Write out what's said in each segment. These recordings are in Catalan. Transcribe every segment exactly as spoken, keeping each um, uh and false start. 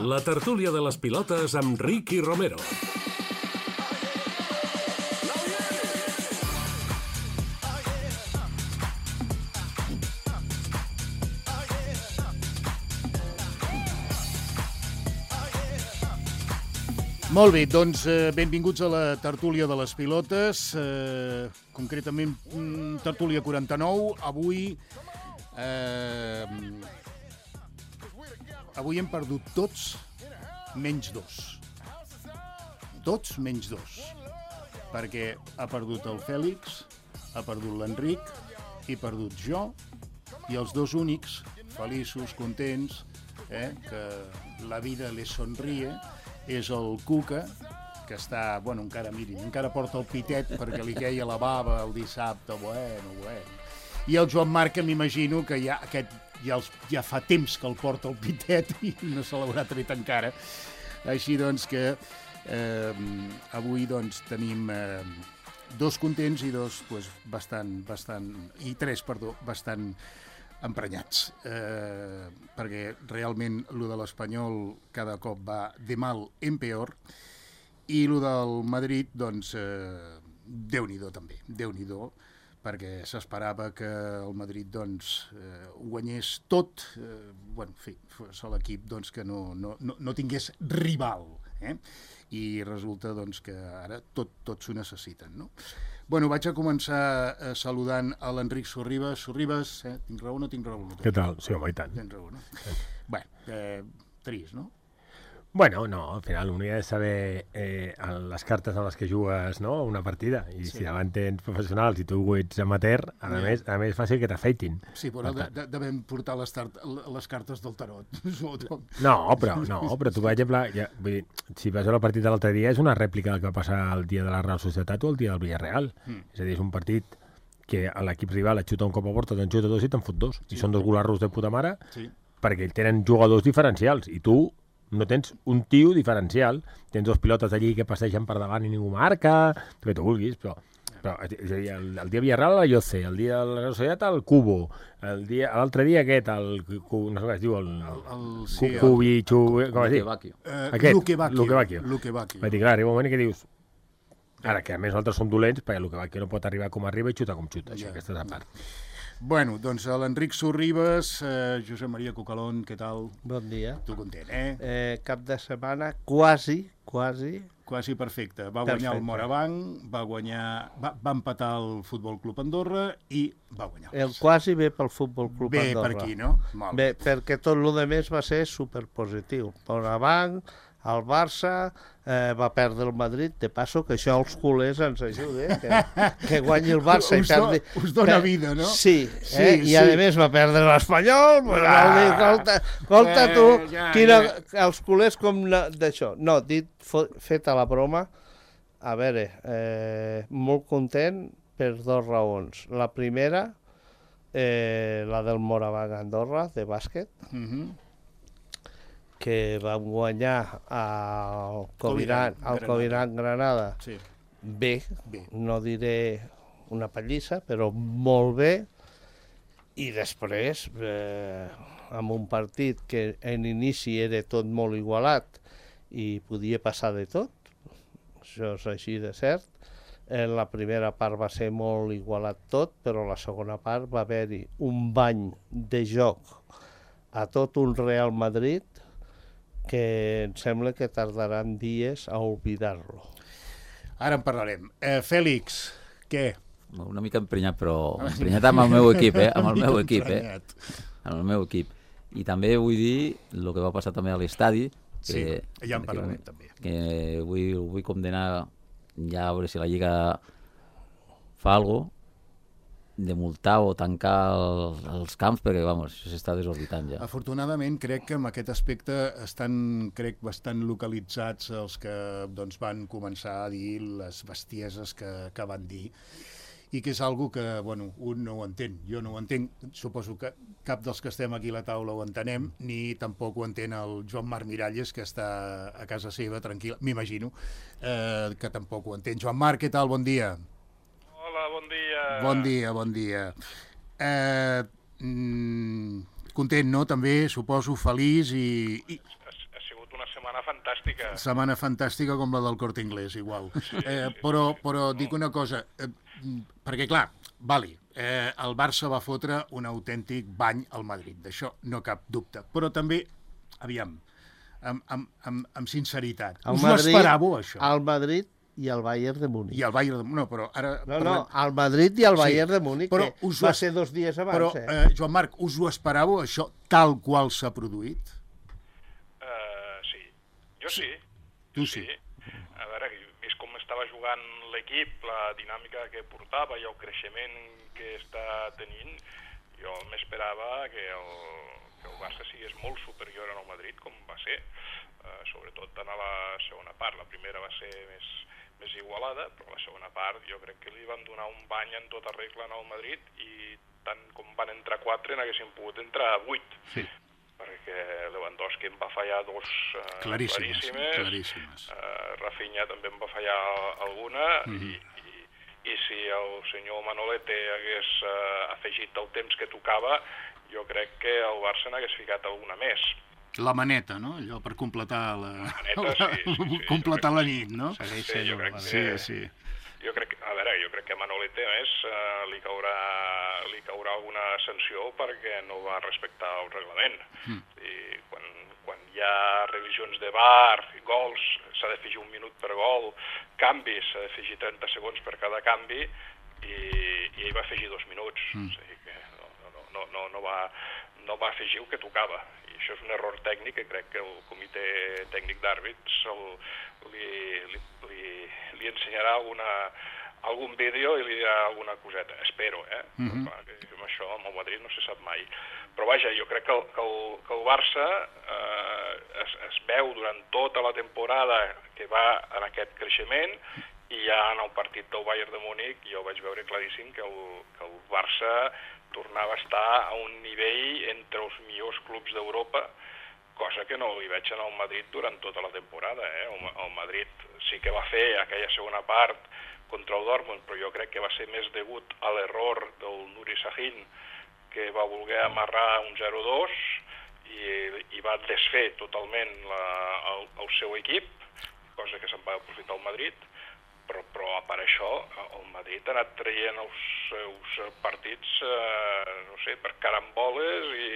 La tertúlia de les pilotes amb Ricky Romero. Molt bé, doncs eh, benvinguts a la tertúlia de les pilotes, eh, concretament mm, tertúlia quaranta-nou. Avui, eh, avui hem perdut tots menys dos. Tots menys dos. Perquè ha perdut el Fèlix, ha perdut l'Enric, he perdut jo, i els dos únics, feliços, contents, eh, que la vida les sonríe, és el Cuca, que està, bueno, encara, mirin, encara porta el pitet perquè li queia la bava el dissabte, bueno, bueno. I el Joan Marc, que m'imagino que ja, aquest, ja, els, ja fa temps que el porta el pitet i no se l'haurà tret encara. Així doncs que eh, avui doncs tenim eh, dos contents i dos pues, bastant, bastant, i tres, perdó, bastant emprenyats, eh, perquè realment lo de l'Espanyol cada cop va de mal en peor, i lo del Madrid, doncs, eh, Déu-n'hi-do també, Déu-n'hi-do, perquè s'esperava que el Madrid doncs, eh, guanyés tot, eh, bueno, en fi, fos l'equip doncs, que no, no, no, no tingués rival, eh? I resulta doncs, que ara tot, tot s'ho necessiten, no? Bueno, vaig a començar eh, saludant a l'Enric Sorribas. Sorribas, eh, tinc raó o no tinc raó? Què tal? Sí, home, i tant. Tens raó, no? Sí. Bé, eh, trist, no? Bueno, no, al final un ha de saber eh, les cartes amb les que jugues, no?, una partida, i sí. Si davant tens professionals i tu ets amateur, a yeah. més, a més és fàcil que t'afeitin. Sí, però de, de, devem portar les, tart, les cartes del tarot. No, però, no, però tu, per exemple, ja, vull dir, si vas a la partida de l'altre dia, és una rèplica del que va passar el dia de la Real Societat o el dia del Villarreal. Mm. És a dir, és un partit que l'equip rival et xuta un cop a porta, te'n xuta dos i te'n fot dos. Sí. I són dos golarros de puta mare, sí. Perquè tenen jugadors diferencials, i tu no tens un tio diferencial, tens dos pilotes allí que passegen per davant i ningú marca, el que tu vulguis, però, però és a dir, el, el dia Villarreal el Lloce, el dia de la Societat el Cubo, el dia, l'altre dia aquest, el, no sé què es diu, el, el, el, sí, el Cubi, el, Xubi, com es diu? Uh, aquest, Luque Bacchio. Luque Bacchio. Vaig dir, clar, arriba un moment que dius, ara que a més nosaltres som dolents, perquè Luque Bacchio no pot arribar com arriba i xuta com xuta, això, ja. Aquesta és la part. Bueno, doncs l'Enric Sorribas, eh, Josep Maria Cucalón, què tal? Bon dia. Tu content, eh? eh cap de setmana quasi, quasi... Quasi perfecte. Va perfecte. Guanyar el Morabanc, va guanyar... Va, va empatar el Futbol Club Andorra i va guanyar. El quasi ve pel Futbol Club bé Andorra. Bé per aquí, no? Molt bé, bé, perquè tot el que més va ser superpositiu. Morabanc, el Barça, eh, va perdre el Madrid, de passo que això els culers ens ajuda, eh? que, que guanyi el Barça us i perdi... Do, us dona per... vida, no? Sí, sí, eh? sí. I a més va perdre l'Espanyol, pues, ah, dir, escolta, escolta tu, eh, ja, quina, ja. Els culers com d'això. No, dit, feta la broma, a veure, eh, molt content per dues raons. La primera, eh, la del Morabanc Andorra, de bàsquet, mm-hmm. que vam guanyar al Coviran, al Coviran Granada, sí. bé, bé, no diré una pallissa, però molt bé, i després, eh, amb un partit que en inici era tot molt igualat i podia passar de tot, això és així de cert. En la primera part va ser molt igualat tot, però la segona part va haver-hi un bany de joc a tot un Real Madrid que em sembla que tardaran dies a oblidar-lo. Ara en parlarem. Eh, Fèlix, què? Una mica emprenyat, però emprenyat amb el meu equip, eh? Amb el meu equip, eh? Amb el meu equip. I també vull dir el que va passar també a l'estadi. Sí, ja en parlarem també. Que vull, vull condenar ja a veure si la Lliga fa alguna cosa, de multar o tancar el, els camps, perquè, vamos, això s'està desorbitant ja. Afortunadament, crec que en aquest aspecte estan, crec, bastant localitzats els que doncs, van començar a dir les bestieses que, que van dir, i que és algo que, bueno, un no ho entén. Jo no ho entenc, suposo que cap dels que estem aquí a la taula ho entenem, ni tampoc ho entén el Joan Marc Miralles, que està a casa seva, tranquil, m'imagino, eh, que tampoc ho entén. Joan Marc, què tal? Bon dia. Hola, bon dia. Bon dia, bon dia. Eh, mm, content, no? També, suposo, feliç i... i... Ha, ha sigut una fantàstica. Setmana fantàstica com la del Corte Inglés, igual. Eh, però, però dic una cosa, eh, perquè clar, vali, eh, el Barça va fotre un autèntic bany al Madrid, d'això no cap dubte. Però també, aviam, amb, amb, amb, amb sinceritat, El us ho Madrid- esperàveu, això? Al Madrid i al Bayern de Múnich. I el Bayern de... No, però ara... No, no, parlem- al Madrid i al Sí, Bayern de Múnich, però que us ho va es- ser dos dies abans, Però, eh? eh, Joan Marc, us ho esperàveu, això, tal qual s'ha produït? Uh, sí, jo sí. Tu sí. A veure, vist com estava jugant l'equip, la dinàmica que portava i el creixement que està tenint, jo m'esperava que el, que el Barça sigués molt superior al Madrid, com va ser, uh, sobretot en la segona part. La primera va ser més, més igualada, però la segona part jo crec que li van donar un bany en tota regla al Madrid i tant com van entrar quatre n'haguessin pogut entrar vuit. Sí. Perquè Lewandowski em va fallar dos uh, Claríssimes, claríssimes, claríssimes. Uh, Rafinha també em va fallar alguna, Mhm. i, i, i si el senyor Manolete hagués uh, afegit el temps que tocava, jo crec que el Barça n'hagués ficat alguna més. La maneta, no? Allò per completar la... maneta, sí, sí, sí, completar jo la crec- nit, no? Segueix Sí, sent jo una crec manera. que- Sí, sí. Jo crec, a veure, jo crec que a Manolete, a més, uh, li, caurà, li caurà alguna sanció perquè no va respectar el reglament. Mm. I quan, quan hi ha revisions de V A R, gols, s'ha d'afegir un minut per gol, canvis, s'ha d'afegir trenta segons per cada canvi, i, i ell va afegir dos minuts. Mm. O sigui que no, no, no, no, no, va, no va afegir el que tocava. I això és un error tècnic que crec que el comitè tècnic d'àrbits el- li, li, li, li ensenyarà alguna, algun vídeo i li dirà alguna coseta. Espero, eh? Mhm. Però, clar, que amb això amb el Madrid no se sap mai. Però vaja, jo crec que el, que el, que el Barça eh, es, es veu durant tota la temporada que va en aquest creixement, i ja en el partit del Bayern de Múnich jo vaig veure claríssim que el, que el Barça tornava a estar a un nivell entre els millors clubs d'Europa, cosa que no li veig en el Madrid durant tota la temporada. Eh? El, el Madrid sí que va fer aquella segona part contra el Dortmund, però jo crec que va ser més degut a l'error del Nuri Sahin, que va voler amarrar un zero dos i, i va desfer totalment la, el, el seu equip, cosa que se'n va aprofitar el Madrid. Però, però a part això, el Madrid ha anat traient els seus partits, eh, no sé, per caramboles i,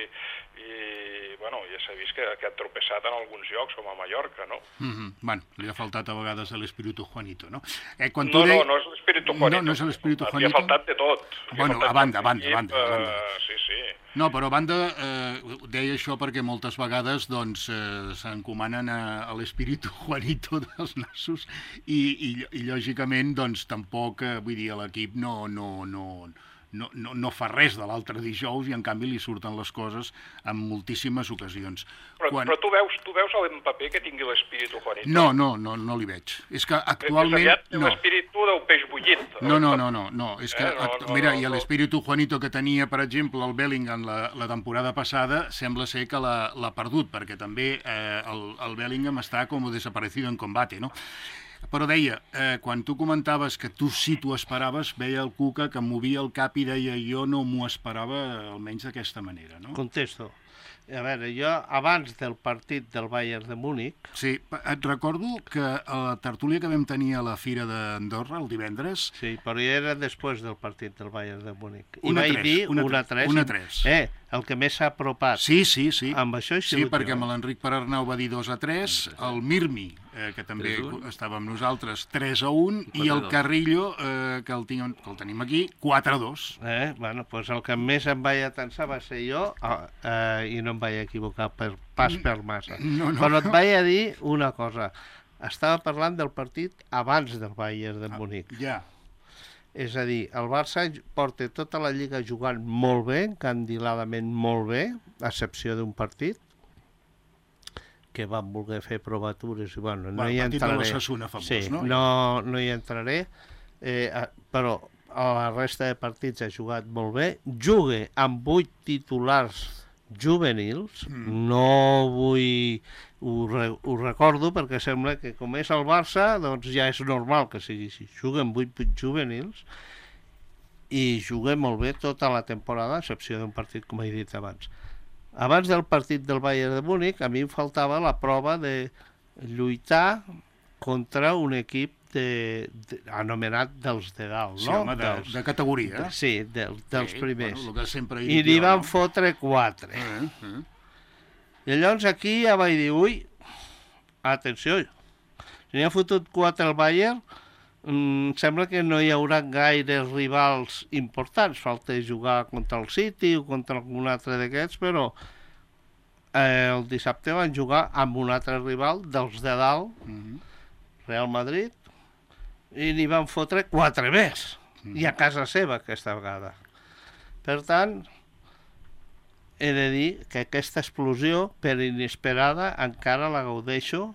i bueno, ja s'ha vist que, que ha tropeçat en alguns llocs, com a Mallorca, no? Mm -hmm. Bueno, li ha faltat a vegades l'espíritu Juanito, no? Eh, quan tu No, dei... no, no és l'espíritu Juanito. No, no és l'espíritu Li Juanito. ha faltat de tot. Li ha Bueno, faltat a banda, a de banda, a equip, banda, a banda. eh, Sí, sí. No, però a banda, eh, deia això perquè moltes vegades doncs, eh, s'encomanen a, a l'espíritu Juanito dels nassos i, i, i lògicament doncs, tampoc, eh, vull dir, l'equip no, no, no, no, no, no fa res de l'altre dijous i en canvi li surten les coses en moltíssimes ocasions. Però, Quan... però tu veus, tu veus a l'Mbappé que tingui l'espíritu Juanito? No, no, no, no li veig. És que Més actualment... aviat té No. l'espíritu del peix bullit. No, no, no, no, no. És que, Eh, no, act- no, mira, no, i no. l'espíritu Juanito que tenia, per exemple, el Bellingham la, la temporada passada, sembla ser que l'ha l'ha perdut, perquè també eh, el, el Bellingham està com desaparecido en combate, no? Però deia, eh, quan tu comentaves que tu sí t'ho esperaves, veia el Cuca que movia el cap i deia jo no m'ho esperava, almenys d'aquesta manera, no? Contesto. A veure, jo, abans del partit del Bayern de Múnich, Sí, et recordo que a la tertúlia que vam tenir a la Fira d'Andorra el divendres, sí, però ja era després del partit del Bayern de Múnich. I Un a vaig tres, dir un a un a tres. un a tres. Eh, el que més s'ha apropat. sí, sí, sí. Amb això hi Sí, sigut perquè jo. amb l'Enric Perarnau va dir dos a tres, el Mirmi, eh, que també tres a un. estava amb nosaltres, tres a un, i quatre a el dos. Carrillo, eh, que, el tinc, que el tenim aquí, quatre a dos. Eh? Bueno, pues el que més em vaig atensar va ser jo, eh, eh, i no em vaig equivocar per, pas per massa. No, no. Però et vaig a dir una cosa. Estava parlant del partit abans del Bayern de Múnich. Ja, És a dir, el Barça porta tota la Lliga jugant molt bé, encandiladament molt bé, a excepció d'un partit, que van voler fer provatures i bueno, no Bueno, hi el partit de entraré. l'Osasuna famós, sí, no? no? No hi entraré, eh, a- però a la resta de partits ha jugat molt bé, juga amb vuit titulars juvenils, Mm. no vull... Ho, re, ho recordo perquè sembla que com és el Barça, doncs ja és normal que sigui així. Juga amb vuit juvenils i juga molt bé tota la temporada, a excepció d'un partit, com he dit abans. Abans del partit del Bayern de Múnich, a mi em faltava la prova de lluitar contra un equip de, de, anomenat dels de dalt, Sí, no? home, de, dels, de categoria. de, sí, de, dels Sí, primers. Bueno, el que sempre he I dit n'hi jo, van no? fotre quatre. Eh, eh. I llavors aquí ja vaig dir, ui, atenció, si n'hi ha fotut quatre al Bayern, mm, sembla que no hi haurà gaires rivals importants. Falta jugar contra el City o contra algun altre d'aquests, però eh, el dissabte van jugar amb un altre rival dels de dalt, Mhm. Real Madrid, i n'hi van fotre quatre més, i a casa seva aquesta vegada. Per tant, he de dir que aquesta explosió, per inesperada, encara la gaudeixo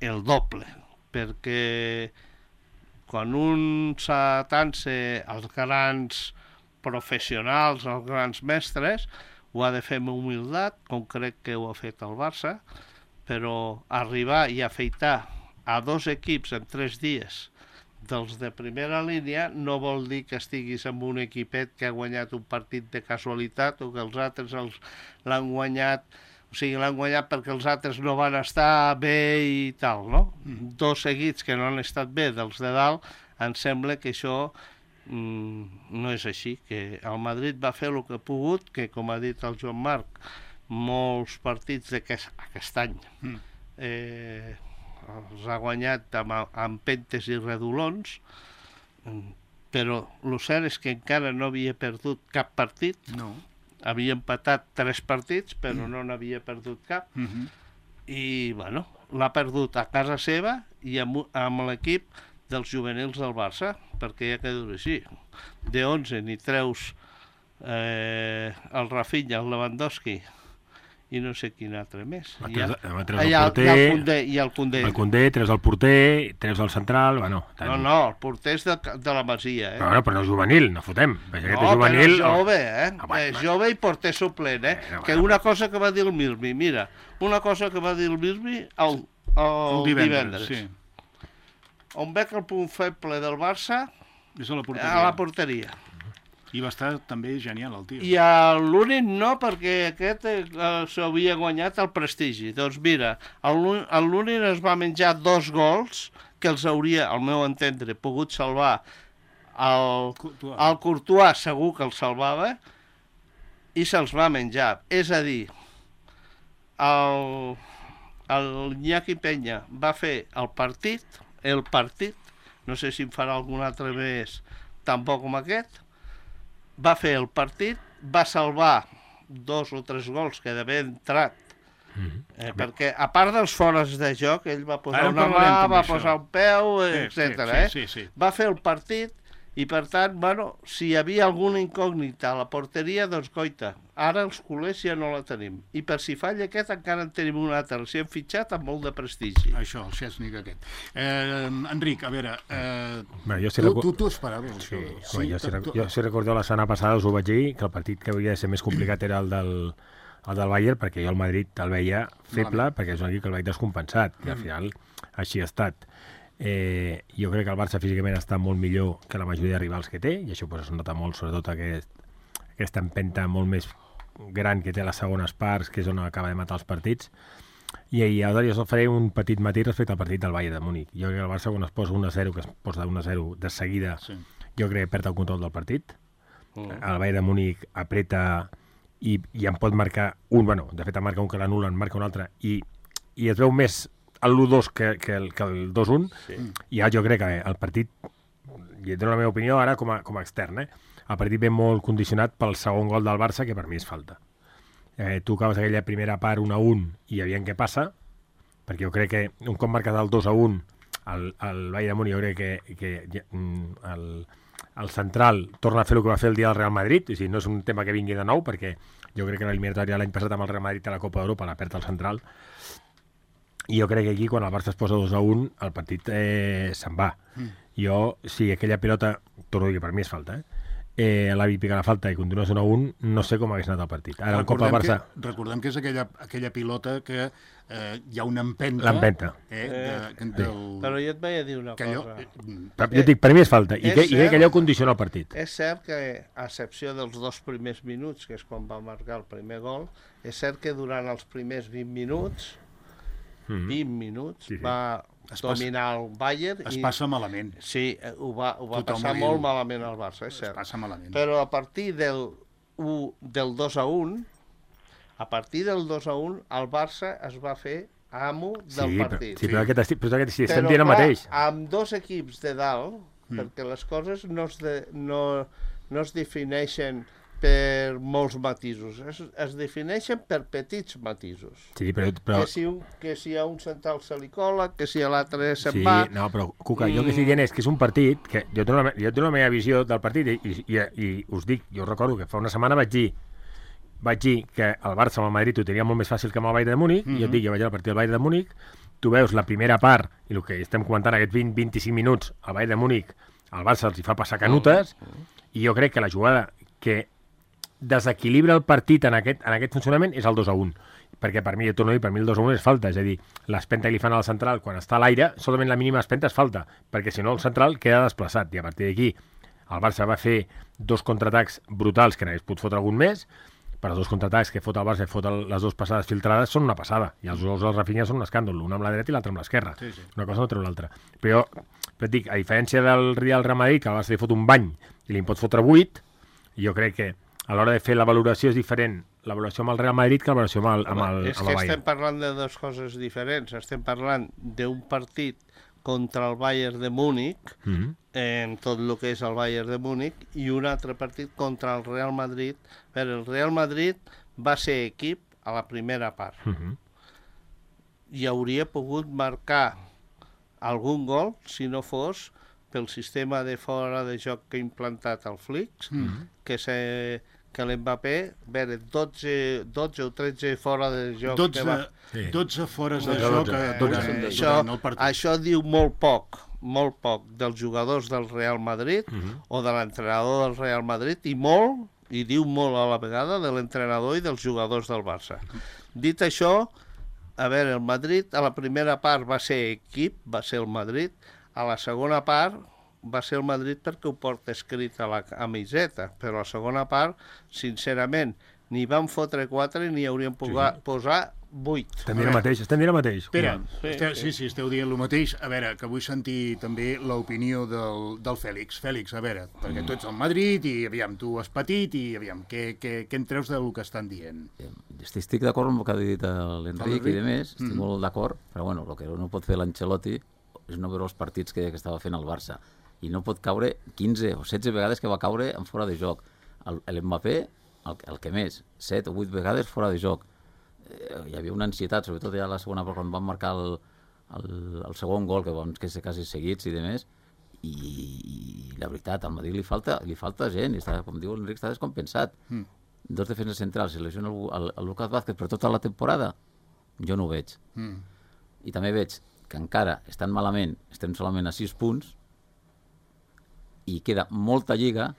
el doble, perquè quan un s'atansa als grans professionals, als grans mestres, ho ha de fer amb humilitat, com crec que ho ha fet el Barça, però arribar i afeitar a dos equips en tres dies dels de primera línia no vol dir que estiguis amb un equipet que ha guanyat un partit de casualitat o que els altres els l'han guanyat, o sigui, l'han guanyat perquè els altres no van estar bé i tal, no? Mm. Dos seguits que no han estat bé dels de dalt, em sembla que això mm, no és així, que el Madrid va fer el que ha pogut, que com ha dit el Joan Marc, molts partits d'aquest aquest any Mm. eh, els ha guanyat amb, amb pentes i redolons, però el cert és que encara no havia perdut cap partit, No. havia empatat tres partits, però no n'havia perdut cap, Mhm. i bueno, l'ha perdut a casa seva i amb, amb l'equip dels juvenils del Barça, perquè ja queda així. De onze n'hi treus eh, el Rafinha, el Lewandowski, i no sé quin altre més. Va, I treus- ja- va, treus Ah, el i el, porter, i el Koundé, i el Koundé. el Koundé, treus el porter, treus el central, bueno... Tant... No, no, el porter és de, de la Masia, eh? No, no, però no és juvenil, no fotem. Perquè aquest No, és juvenil... però és jove, eh? Ah, bueno, és jove i porter suplent, eh? Bueno, que bueno. una cosa que va dir el Mirmi, mira, una cosa que va dir el Mirmi el, el, El divendres, divendres. sí. On veig el punt feble del Barça, És a la porteria. a la porteria. I va estar també genial, el tio. I a l'únic no, perquè aquest eh, s'havia guanyat el prestigi. Doncs mira, el l'únic es va menjar dos gols que els hauria, al meu entendre, pogut salvar el, Courtois. el Courtois, segur que el salvava, i se'ls va menjar. És a dir, el, el Iñaki Peña va fer el partit, el partit, no sé si en farà algun altre més tan bo com aquest, va fer el partit, va salvar dos o tres gols que d'haver entrat, eh, perquè a part dels fores de joc, ell va posar Ara en una mà, parlarem també, va això. posar un peu, Sí, eh, sí, etcètera. sí, eh? sí, sí. Va fer el partit i, per tant, bueno, si hi havia alguna incògnita a la porteria, doncs, coita, ara els culers ja no la tenim. I per si falla aquest, encara en tenim un altre. Si hem fitxat amb molt de prestigi. Això, el Chesney aquest. Eh, Enric, a veure, eh, Bueno, jo sí tu, recu- tu, tu esperaves Sí, això? home, jo, si, tu- rec- tu- jo si recordo la setmana passada us ho vaig dir, que el partit que havia de ser més complicat era el del, el del Bayern, perquè jo el Madrid el veia feble, Malament. perquè és un equip que el veig descompensat, i al final així ha estat. Eh, jo crec que el Barça físicament està molt millor que la majoria de rivals que té, i això pues, es nota molt, sobretot aquest, aquesta empenta molt més gran que té a les segones parts, que és on acaba de matar els partits. I, i ara jo faré un petit matí respecte al partit del Bayern de Múnich. Jo crec que el Barça, quan es posa un a zero, que es posa un a zero de seguida, Sí. jo crec que perd el control del partit. Mm. El Bayern de Múnich apreta i, i en pot marcar un, bueno, de fet en marca un que l'anul·la, en marca un altre, i, i es veu més el l'u dos que, que el, que el dos un, sí. I ja jo crec que el partit, i et dono la meva opinió ara com a, com a extern, eh? El partit ve molt condicionat pel segon gol del Barça, que per mi és falta. Eh, tu acabes aquella primera part un a un i aviam què passa, perquè jo crec que un cop marcat el dos a un el, el Bayern de Múnich, jo crec que, que mm, el, el central torna a fer el que va fer el dia del Real Madrid, o sigui, no és un tema que vingui de nou, perquè jo crec que l'eliminatòria l'any passat amb el Real Madrid a la Copa d'Europa la perd el central, i jo crec que aquí quan el Barça es posa dos a un el partit eh, se'n va. Mm. Jo, si aquella pilota, torno a dir que per mi és falta, eh? Eh, l'avi pica la falta i continua un a un, no sé com hagués anat el partit. Ara un cop el Barça... Que, recordem que és aquella, aquella pilota que eh, hi ha una empenta. L'empenta. Eh, de, de, del, Però jo et vaig a dir una que allò, cosa. eh, Però jo et dic, per mi és falta, i, És que, i crec que allò cert. condiciona el partit. És cert que, a excepció dels dos primers minuts, que és quan va marcar el primer gol, és cert que durant els primers vint minuts mm. vint minuts, sí, sí. va es dominar passa, el Bayern. Es i, passa malament. Sí, ho va, ho va Tothom passar ho molt diu. malament al Barça, és cert. Es passa malament. Però a partir del, u, del dos a un, a partir del dos a un, el Barça es va fer amo del sí, partit. Però, sí, però aquest, esti- però aquest, sí, estem Però, dient el clar, mateix. amb dos equips de dalt, mm. perquè les coses no es, de, no, no es defineixen per molts matisos, es, es defineixen per petits matisos. Sí, però... però... Que, si un, que si a un central se li cola, que si a l'altre se'n Sí, va... no, però, Cuca, jo el que estic dient és que és un partit que jo tinc la, jo tinc la meva visió del partit i, i, i, i us dic, jo recordo que fa una setmana vaig dir vaig dir que el Barça amb el Madrid ho tenia molt més fàcil que amb el Bayern de Múnich, mm -hmm. i jo et dic, jo vaig al partit del Bayern de Múnich, tu veus la primera part, i el que estem comentant aquests vint a vint-i-cinc minuts, al Bayern de Múnich, el Barça els hi fa passar canutes, i jo crec que la jugada que desequilibra el partit en aquest, en aquest funcionament és el dos a un, perquè per mi, jo torno a dir, per mi el dos a un és falta, és a dir, l'espenta que li fan al central quan està a l'aire, solament la mínima espenta és falta, perquè si no el central queda desplaçat, i a partir d'aquí el Barça va fer dos contraatacs brutals, que n'hagués pogut fotre algun més, però els dos contraatacs que fot el Barça i fot el, les dues passades filtrades són una passada, i els gols del Rafinha són un escàndol, un amb la dreta i l'altre amb l'esquerra, Sí, sí. una cosa no treu l'altra. Però, però et dic, a diferència del Real Madrid, que el Barça li fot un bany i li en pot fotre vuit, jo crec que a l'hora de fer la valoració és diferent la valoració amb el Real Madrid que la valoració amb el, amb el, és amb que el Bayern. estem parlant de dues coses diferents. Estem parlant d'un partit contra el Bayern de Múnich, Mm -hmm. en tot el que és el Bayern de Múnich, i un altre partit contra el Real Madrid. Però el Real Madrid va ser equip a la primera part. Mm -hmm. I hauria pogut marcar algun gol si no fos pel sistema de fora de joc que ha implantat el Flick, mm -hmm. que se... que l'Mbappé, a veure, dotze, dotze o tretze fora de joc. dotze, que va... Sí. dotze fores de dotze, joc dotze, eh, dotze. durant, Això, durant el partit. això diu molt poc, molt poc dels jugadors del Real Madrid Mm -hmm. o de l'entrenador del Real Madrid, i molt, i diu molt a la vegada, de l'entrenador i dels jugadors del Barça. Dit això, a veure, el Madrid a la primera part va ser equip, va ser el Madrid, a la segona part va ser el Madrid perquè ho porta escrit a la camiseta, però a la segona part, sincerament, ni van fotre quatre ni haurien pogut Sí. posar vuit. Estem dient el mateix, estem dient el mateix. Espera, Sí, esteu, sí. sí, sí, esteu dient el mateix. A veure, que vull sentir també l'opinió del, del Fèlix. Fèlix, a veure, perquè tu ets al Madrid i, aviam, tu has patit i, aviam, què, què, què en treus del que estan dient? Estic, estic d'acord amb el que ha dit l'Enric L'Enric? i de més, estic Mm. molt d'acord, però bueno, el que no pot fer l'Ancelotti és no veure els partits que, que estava fent el Barça, i no pot caure quinze o setze vegades que va caure en fora de joc. L'Mbappé, el, el que més, set o vuit vegades fora de joc. Eh, hi havia una ansietat, sobretot ja a la segona part, quan van marcar el, el, el segon gol, que van que ser quasi seguits i de més, i, i la veritat, al Madrid li falta, li falta gent, i està, com diu l'Enric, està descompensat. Mm. Dos defenses centrals, si lesiona el, el, el Lucas Vázquez per tota la temporada, jo no ho veig. Mm. I també veig que encara estan malament, estem solament a sis punts, i queda molta lliga,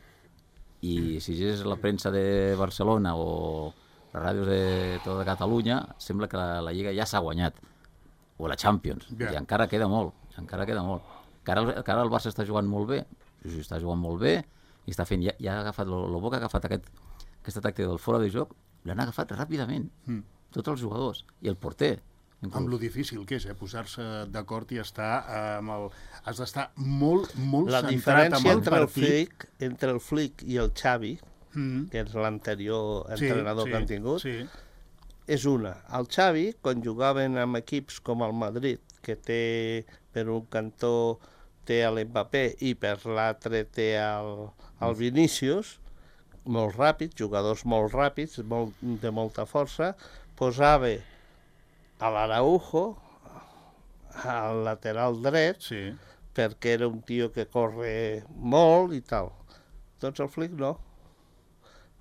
i si llegeixes la premsa de Barcelona o les ràdios de tota Catalunya, sembla que la, la lliga ja s'ha guanyat, o la Champions, Yeah. i encara queda molt, encara queda molt. Que ara, que ara el Barça està jugant molt bé, sí, sí, està jugant molt bé, i està fent, ja, ja ha agafat, el bo que ha agafat aquest, aquesta tàctica del fora de joc, l'han agafat ràpidament, Mm. tots els jugadors, i el porter. Amb lo difícil que és, eh? Posar-se d'acord i estar eh, amb el... Has d'estar molt, molt La centrat diferència amb el entre el, partit. Flick, entre el Flick i el Xavi, Mm. que és l'anterior Sí, entrenador sí, que han tingut, Sí. és una. El Xavi, quan jugaven amb equips com el Madrid, que té per un cantó té a l'Mbappé i per l'altre té el, el Vinícius, molt ràpids, jugadors molt ràpids, molt, de molta força, posava a l'Araujo, al lateral dret, Sí. perquè era un tio que corre molt i tal. Doncs el Flick no.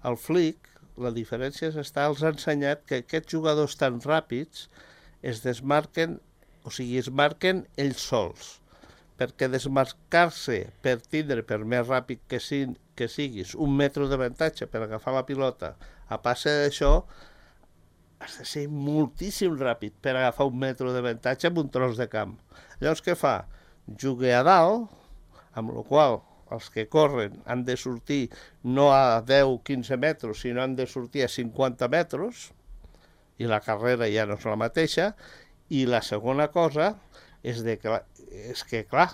El Flick, la diferència és està, els ha ensenyat que aquests jugadors tan ràpids es desmarquen, o sigui, es marquen ells sols, perquè desmarcar-se per tindre, per més ràpid que, si, que siguis, un metre d'avantatge per agafar la pilota, a passe d'això, has de ser moltíssim ràpid per agafar un metre d'avantatge amb un tros de camp. Llavors, què fa? Juga a dalt, amb la qual els que corren han de sortir no a deu o quinze metres, sinó han de sortir a cinquanta metres, i la carrera ja no és la mateixa, I la segona cosa és, de que, és que, clar,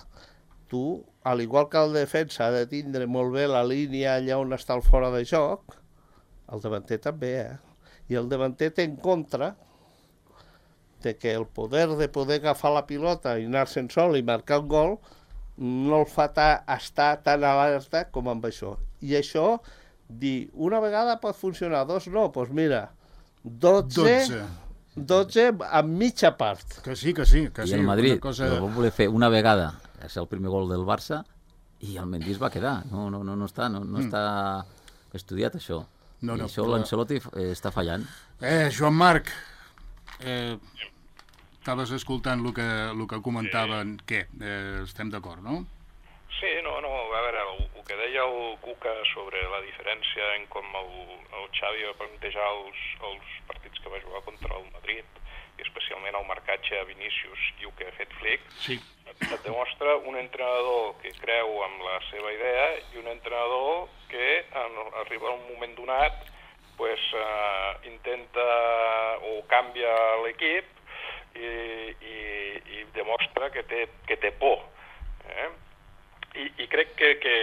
tu, al igual que el defensa ha de tindre molt bé la línia allà on està el fora de joc, el davanter també, eh? I el davanter té en contra de que el poder de poder agafar la pilota i anar-se'n sol i marcar un gol no el fa ta, estar tan alerta com amb això. I això, dir, una vegada pot funcionar, dos no, doncs mira, dotze, dotze amb mitja part. Que sí, que sí. Que I sí, el Madrid cosa... el va voler fer una vegada, és el primer gol del Barça, i el Mendy es va quedar. No, no, no, no, està, no, no mm. està estudiat, això. No, no, I això però... l'Ancelotti està fallant. Eh, Joan Marc, eh, estaves escoltant el que, el que comentaven. Sí. Què? Eh, estem d'acord, no? Sí, no, no, a veure, el, el que deia el Cuca sobre la diferència en com el, el Xavi va plantejar els, els partits que va jugar contra el Madrid, i especialment el marcatge a Vinícius i el que ha fet Flick, sí. et, et demostra un entrenador que creu en la seva idea i un entrenador que en, arriba a un moment donat pues, eh, intenta o canvia l'equip i, i, i demostra que té, que té por. Eh? I, i crec que, que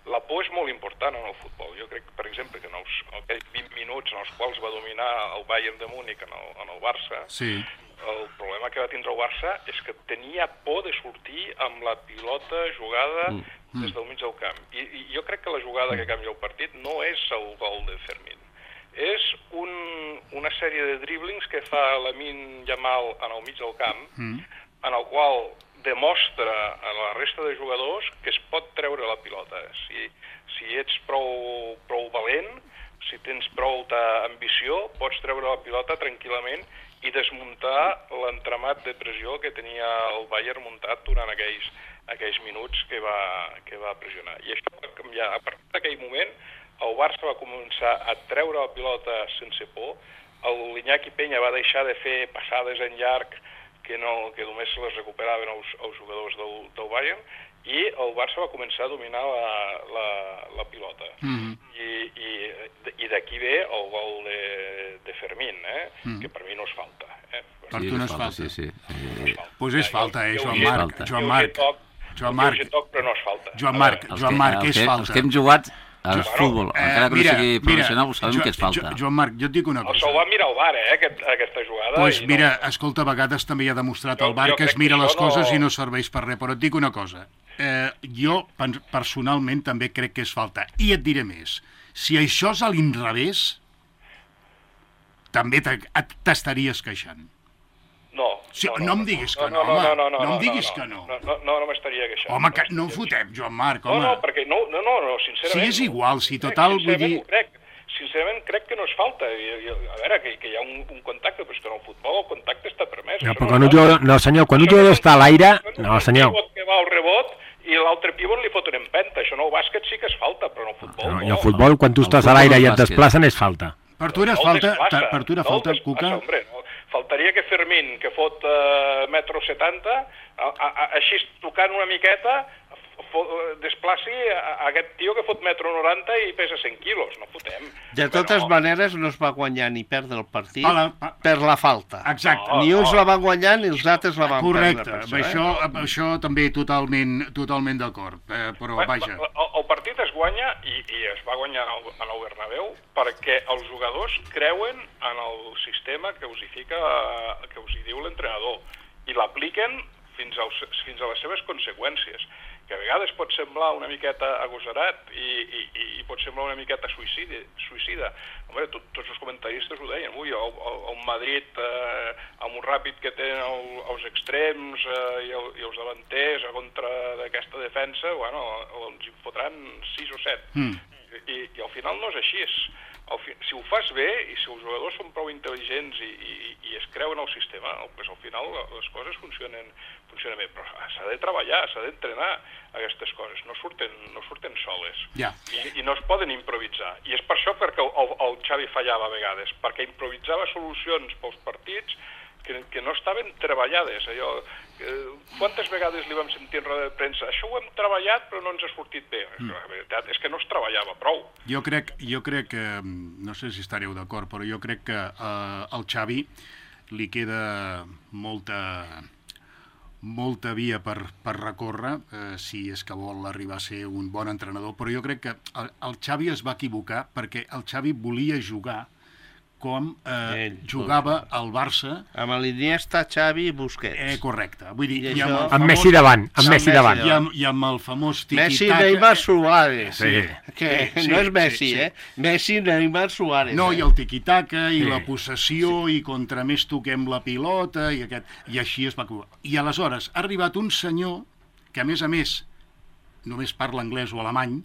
la por és molt important en el futbol. Jo crec, per exemple, que en els, aquells vint minuts en els quals va dominar el Bayern de Múnich en el, en el Barça, sí. el problema que va tindre el Barça és que tenia por de sortir amb la pilota jugada mm. des del mig del camp. I, I jo crec que la jugada que canvia el partit no és el gol de Fermín. És un, una sèrie de driblings que fa Lamine Yamal en el mig del camp, mm. en el qual demostra a la resta de jugadors que es pot treure la pilota. Si, si ets prou, prou valent, si tens prou ambició, pots treure la pilota tranquil·lament i desmuntar l'entramat de pressió que tenia el Bayern muntat durant aquells, aquells minuts que va, que va pressionar. I això va canviar. A partir d'aquell moment, el Barça va començar a treure la pilota sense por, el Iñaki Peña va deixar de fer passades en llarg que, no, que només se les recuperaven els, els jugadors del, del Bayern, i el Barça va començar a dominar la, la, la pilota. Mm-hmm. I, i, i d'aquí ve el gol de, de Fermín, eh? Mm. que per mi no és falta. Eh? Per sí, tu no és falta? Sí, sí. Doncs eh, pues és falta, eh, Joan Marc. Joan Marc. Joan Marc. Però no és falta. Joan Marc, Joan Marc, és falta. Els que hem jugat al jo, futbol, eh, encara que mira, no sigui professional, mira, sabem jo, que és falta. Jo, Joan Marc, jo et dic una cosa. Això ho va mirar el V A R, eh, aquest, aquesta jugada. Doncs pues mira, no... escolta, a vegades també ha demostrat jo, el V A R que es mira que les coses no... i no serveix per res, però et dic una cosa. Eh, jo, personalment, també crec que és falta. I et diré més. Si això és a l'inrevés, també t'estaries queixant. No, sí, no, no, no em diguis que no, no, no, home. no, no, no, no em diguis no, que no. No, no, no, no m'estaria queixant. Home, que no en fotem, Joan Marc, home. No, no, perquè no, no, no, no sincerament... Si és igual, si total, vull dir... Crec, sincerament crec que no és falta. I, i, a veure, que, que hi ha un, un contacte, però és que en el futbol el contacte està permès. No, però quan un jugador... No, senyor, quan un jugador està a l'aire... No, senyor. Un que va al rebot i l'altre pivot li fot una empenta. Això en el bàsquet sí que és falta, però en el futbol no. no I el futbol, quan tu estàs a l'aire i et desplacen, és falta. Per tu era falta, per tu era falta, Cuca? Hombre, no. Faltaria que Fermín, que fot uh, metro setanta, a, a, a, així tocant una miqueta, fo, desplaci a, a aquest tio que fot metro noranta i pesa cent quilos, no fotem. De totes no. maneres no es va guanyar ni perdre el partit la, a... per la falta. Exacte. No, ni uns no. la van guanyar ni els altres la van Correcte. perdre. Correcte, això, eh? això, això també totalment, totalment d'acord, eh, però bueno, vaja. El, el partit es guanya i, i es va guanyar en el, en el Bernabéu perquè els jugadors creuen en el sistema que us hi fica, que us hi diu l'entrenador i l'apliquen fins, als, fins a les seves conseqüències, que a vegades pot semblar una miqueta agosarat i, i, i pot semblar una miqueta suïcida. suïcida. Home, tot, tots els comentaristes ho deien, ui, el, el, el Madrid eh, amb un ràpid que tenen el, els extrems eh, i, el, i els davanters a contra d'aquesta defensa, bueno, ens en fotran sis o set. Mm. I, I al final no és així. És, al fi, si ho fas bé i si els jugadors són prou intel·ligents i, i, i es creuen el sistema, pues al final les coses funcionen, funcionen bé. Però s'ha de treballar, s'ha d'entrenar aquestes coses. No surten, no surten soles. Yeah. I, I no es poden improvisar. I és per això perquè el, el Xavi fallava a vegades, perquè improvisava solucions pels partits que, que no estaven treballades. Allò, eh, quantes vegades li vam sentir en roda de premsa? Això ho hem treballat però no ens ha sortit bé. Mm. La veritat és que no es treballava prou. Jo crec, jo crec que, no sé si estareu d'acord, però jo crec que eh, el Xavi li queda molta, molta via per, per recórrer, eh, si és que vol arribar a ser un bon entrenador, però jo crec que el, el Xavi es va equivocar perquè el Xavi volia jugar com eh, Ell, jugava el Barça. Amb l'Iniesta, Xavi i Busquets. Eh, correcte. Vull dir, I i amb, això- el Amb famós, Messi davant, amb Amb Messi Messi davant. i, amb, i amb el famós Messi, tiki-taka. Neymar, Suárez. Sí, Que sí, no és sí, Messi, sí. eh? Messi, Neymar, Suárez. No, eh? i el tiki-taka, i Sí. la possessió, i contra més toquem la pilota, i, aquest, i així es va acabar. I aleshores ha arribat un senyor que, a més a més, només parla anglès o alemany,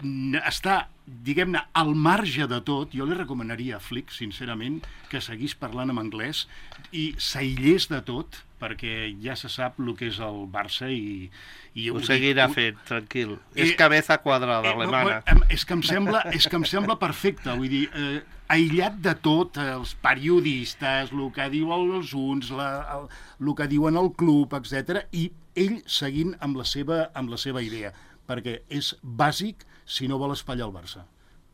n- està, diguem-ne, al marge de tot. Jo li recomanaria a Flick, sincerament, que seguís parlant en anglès i s'aïllés de tot, perquè ja se sap el que és el Barça i... i Ho dic- seguirà ho- fent, tranquil. Eh, És cabeza quadrada, Eh, no, alemana. em- és que em sembla, és que em sembla perfecte, vull dir, eh, aïllat de tot, eh, els periodistes, el que diuen els uns, la, el, el que diuen el club, etcètera, i ell seguint amb la seva, amb la seva idea, perquè és bàsic si no vol espatllar el Barça.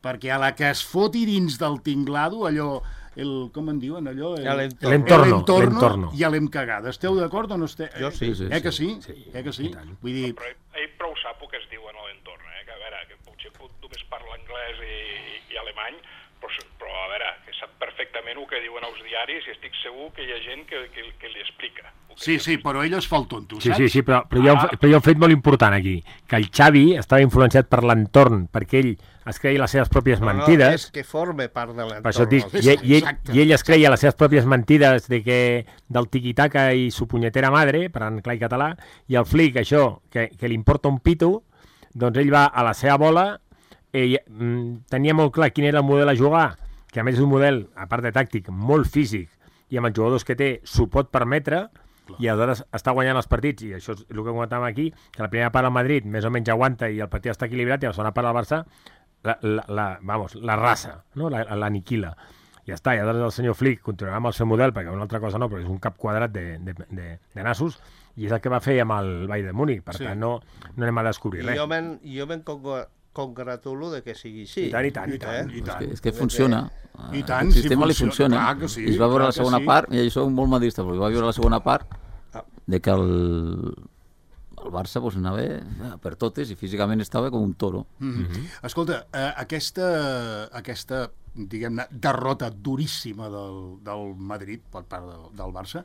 Perquè a la que es foti dins del tinglado, allò, el, com en diuen allò? El, L'entorno. L'entorno, l'entorno, l'entorno. ja l'hem cagada. Esteu d'acord o no esteu? Jo sí. Sí, sí, Eh que sí? sí, Eh que sí? i tant. Vull dir, Però ell, ell prou sap el que es diu en l'entorn, eh? Que a veure, que potser pot, només parla anglès i, i, i alemany, però, s- però a veure, que sap perfectament el que diuen els diaris i estic segur que hi ha gent que, que, que li explica. el que sí, li sí, però ell es fa el tonto, Sí, saps? sí, sí, però, però, hi ha un, fe- però hi ha un fet molt important aquí, que el Xavi estava influenciat per l'entorn, perquè ell es creia les seves pròpies No, no, mentides, és que forme part de l'entorn. per això et dic, el i, ell- i, ell, Exacte. i ell es creia les seves pròpies mentides de que, del tiquitaca i su punyetera madre, per en clar i català, i el Flick, això, que, que li importa un pito, doncs ell va a la seva bola, ell mm, tenia molt clar quin era el model a jugar, que a més és un model, a part de tàctic, molt físic, i amb els jugadors que té s'ho pot permetre, i aleshores està guanyant els partits, i això és el que comentàvem aquí, que la primera part al Madrid més o menys aguanta i el partit està equilibrat, i la segona part al Barça la, la, la, vamos, la raça, no? la, l'aniquila. Ja està, i aleshores el senyor Flick continuarà amb el seu model, perquè una altra cosa no, però és un cap quadrat de, de, de, de nassos, i és el que va fer amb el Bayern de Múnich, per Sí. tant no, no anem a descobrir I res. jo me'n jo me'n congra- congratulo de que sigui així. I tant, i tant, i tant, Eh? i És tant. que, és que funciona. I tant, el si sistema li funciona, funciona. clar que sí, I es va veure clar la que segona sí. part, i això soc molt madrista, però va veure la segona part de que el, el Barça pues, anava per totes i físicament estava com un toro. Mm -hmm. Escolta, eh, aquesta, aquesta diguem-ne, derrota duríssima del, del Madrid per part del, del Barça,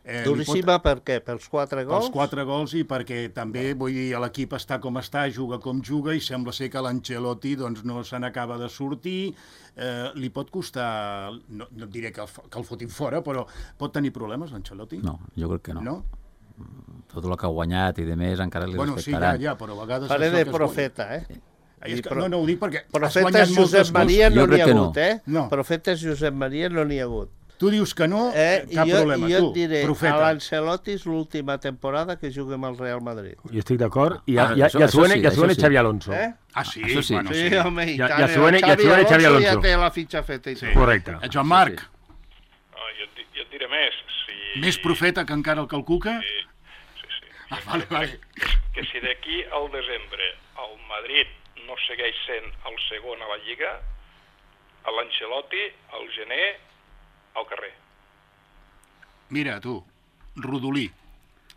eh, li Duríssima per què? Pels quatre pot, gols? pels quatre gols i perquè també, vull dir, l'equip està com està, juga com juga i sembla ser que l'Ancelotti doncs, no se n'acaba de sortir, eh, li pot costar, no, no et diré que el, fo- que el fotin fora, però pot tenir problemes l'Ancelotti? No, jo crec que no. No? Tot el que ha guanyat i de més encara li Bueno, sí, ja, respectaran. ja, però a vegades... Faré això de que es profeta, eh? guanya- És I que, pro- no, no, ho dic perquè has Profetes guanyat moltes Josep Maria Jo no n'hi crec ha que no. hagut, eh? No. Profetes Josep Maria no n'hi ha hagut. Tu dius que no, Eh? cap I jo, problema. i jo tu, et diré, profeta. a l'Ancelotti és l'última temporada que juga amb el Real Madrid. Jo estic d'acord, i, ja, Ah, ja, això- ja, això següent, sí, ja següent això sí. Xavi Alonso. Eh? Ah, sí? Això sí. Bueno, Sí, sí. home, i Ja- tant. ja el suena- ja Xavi suena Xavi Alonso Alonso. ja té la fitxa feta i tot. Correcte. Eh, Joan Marc, Sí, No, jo, et, di- jo et diré més. Si, més profeta que encara el que el Cuca? Sí, sí, sí. Ah, vale, vale. Que si d'aquí al desembre el Madrid no segueix sent el segon a la Lliga, a l'Ancelotti, al gener, al carrer. Mira, tu, Rodolí,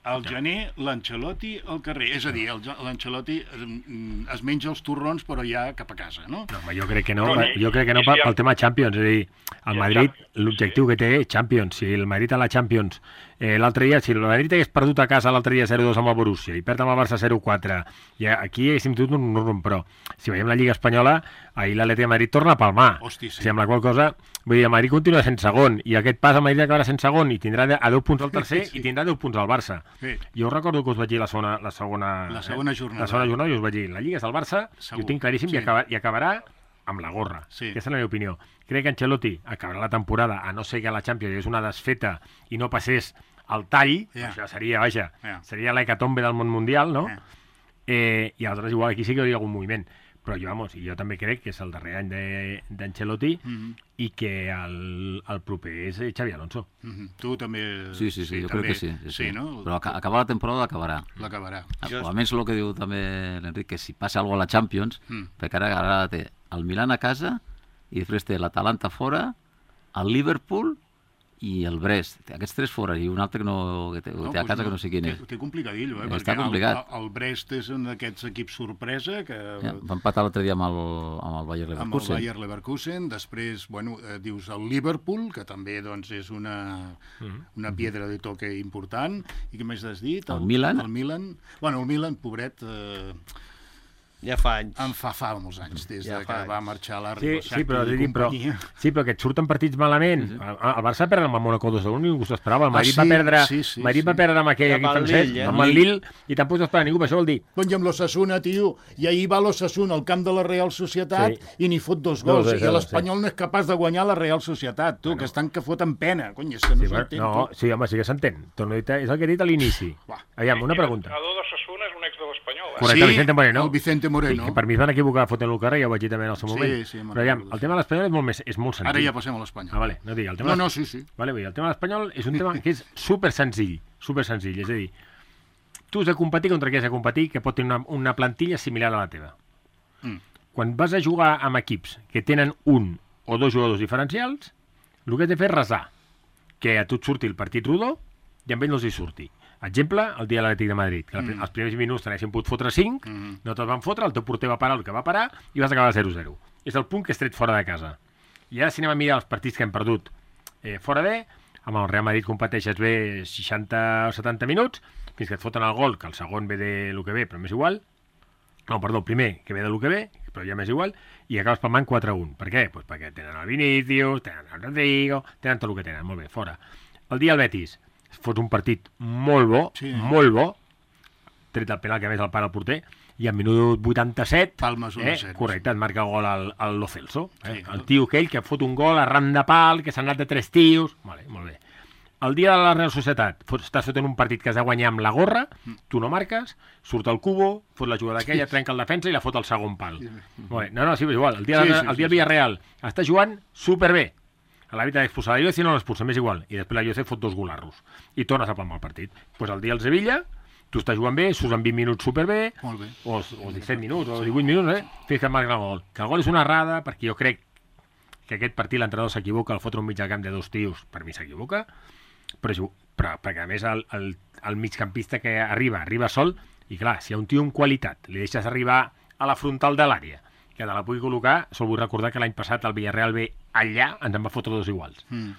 al gener l'Ancelotti al carrer. És a dir, el- l'Ancelotti eh, es menja els torrons però ja cap a casa, no? No, home, jo crec que no, No, ni- jo crec que no ni pel, si pel el- tema Champions, és a dir, el I el Madrid, Champions, l'objectiu sí. que té és Champions. Si el Madrid a la Champions, eh, l'altre dia, si el Madrid hagués perdut a casa l'altre dia zero dos amb el Borussia i perd amb el Barça zero quatre, i aquí haguéssim tingut un rum, però si veiem la Lliga Espanyola, ahir l'Atlètic de Madrid torna a palmar. Hosti, sí. O sigui, amb la qual cosa, vull dir, el Madrid continua sent segon, i aquest pas el Madrid acabarà sent segon, i tindrà de- a deu punts al tercer, Sí. i tindrà deu punts al Barça. Sí. Jo recordo que us vaig dir la segona, la segona, La segona eh, jornada. La segona jornada i us vaig dir, la Lliga és del Barça, Segur. jo ho tinc claríssim, Sí. i, acaba, i acabarà amb la gorra. Sí. Aquesta és la meva opinió. Crec que Ancelotti acabarà la temporada, a no ser que a la Champions hi hagués una desfeta i no passés al tall, Ja. això seria, vaja, Ja. seria l'hecatombe del món mundial, no? Ja. Eh, I aleshores igual aquí sí que hi hauria algun moviment. Però jo, vamos, jo també crec que és el darrer any de- d'Ancelotti Mhm. i que el, el proper és eh, Xavi Alonso. Mhm. Tu també... sí, sí, sí, jo també. crec que sí. Sí, sí. no? Però aca- acabar la temporada l'acabarà. L'acabarà. Jo... A més, el que diu també l'Enric, que si passa alguna cosa a la Champions, Mm. perquè ara, ara té el Milan a casa i després té l'Atalanta fora, el Liverpool i el Brest. Aquests tres fora, i un altre que, no, que té, no, té a casa no, que no sé quin és. Té, té complicadillo, eh? Està perquè complicat. El, el Brest és un d'aquests equips sorpresa que... Ja, va empatar l'altre dia amb el, amb el Bayer Leverkusen. Amb el Bayer Leverkusen. Després, bueno, eh, dius el Liverpool, que també doncs, és una, una piedra de toque important. I què més has dit? El, el Milan. El Milan. Bueno, el Milan, pobret... Eh, Ja fa anys. En fa fa molts anys, des ja de que anys. va marxar la Sí, Ribosaki sí, però, i dir, però, companyia. sí, però que et surten partits malament. Sí, sí. El, el Barça va perdre amb el Mónaco dos a un, ningú s'ho esperava. El Ah, Madrid sí, va perdre, sí, sí, Madrid sí. va perdre amb aquell Amb equip el francès, Lille, eh? amb el Lille, i tampoc s'ho espera ningú. Això vol dir... Doncs i amb l'Ossassuna, tio, i ahir va l'Ossassuna al camp de la Real Societat Sí. i n'hi fot dos No, gols, sí, i sí, l'Espanyol no és capaç de guanyar la Real Societat, tu, que estan que foten pena, cony, és que no Sí, s'entén, no, tu. sí, home, sí que s'entén. Torno a dir, és el que he dit a l'inici. Va. Aviam, una pregunta. L'entrenador d'Ossassuna és un ex de l'Espanyol, eh? Correcte, Vicente Moreno. el Vicente Moreno. Sí, que per mi es van equivocar fotent-lo al carrer, ja ho vaig dir també en el seu Sí, moment. sí, me'n Però aviam, recordo, el tema de l'Espanyol és molt, més, és molt senzill. Ara ja passem a l'Espanyol. Ah, vale, no dic, el tema No, de- no, sí, sí. Vale, vull dir, el tema de l'Espanyol és un tema que és super senzill, super senzill, és a dir, tu has de competir contra qui has de competir que pot tenir una, una plantilla similar a la teva. Mm. Quan vas a jugar amb equips que tenen un o dos jugadors diferencials, el que has de fer és resar, que a tu et surti el partit rodó i amb ell no els hi surti. Exemple, el dia de l'Atlètic de Madrid, que mm. els primers minuts t'anessin pogut fotre cinc, mm. no te'ls van fotre, el teu porter va parar el que va parar i vas acabar zero zero. És el punt que has tret fora de casa. I ara si anem a mirar els partits que hem perdut eh, fora de, amb el Real Madrid competeixes bé seixanta o setanta minuts, fins que et foten el gol, que el segon ve de lo que ve, però m'és igual. No, perdó, el primer, que ve de lo que ve, però ja m'és igual, i acabes palmant quatre a un. Per què? Pues perquè tenen el Vinícius, tenen el Rodrigo, tenen tot el que tenen, molt bé, fora. El dia del Betis, fots un partit molt bo, Sí. molt bo, tret el penal que a més el para el porter, i al minut vuitanta-set, Palmes un a eh, zero, correcte, et marca el gol al, al Lo Celso, eh? Sí. El tio aquell que fot un gol arran de pal, que s'ha anat de tres tios, vale, molt bé. El dia de la Real Societat, fots, estàs fotent un partit que has de guanyar amb la gorra, tu no marques, surt el Cubo, fot la jugada aquella, trenca el defensa i la fot al segon pal. Molt bé. No, no, sí, és igual. El dia, Sí, de, sí, el dia sí, del Villarreal està jugant superbé. A l'àrbitre d'expulsar la Lloce no l'expulsa, m'és igual. I després la Lloce fot dos golarros. I tornes a palmar el partit. Doncs pues el dia del Sevilla, tu estàs jugant bé, surts en vint minuts superbé, Molt bé. o, o disset minuts, o divuit minuts, eh? Fins que et marquen el gol. Que el gol és una errada, perquè jo crec que aquest partit l'entrenador s'equivoca, el fotre un mig al camp de dos tios, per mi s'equivoca, però, és, però perquè a més el, el, el migcampista que arriba, arriba sol, i clar, si a un tio amb qualitat li deixes arribar a la frontal de l'àrea, que te la pugui col·locar, sol vull recordar que l'any passat el Villarreal ve allà, ens en va fotre dos iguals. Mm.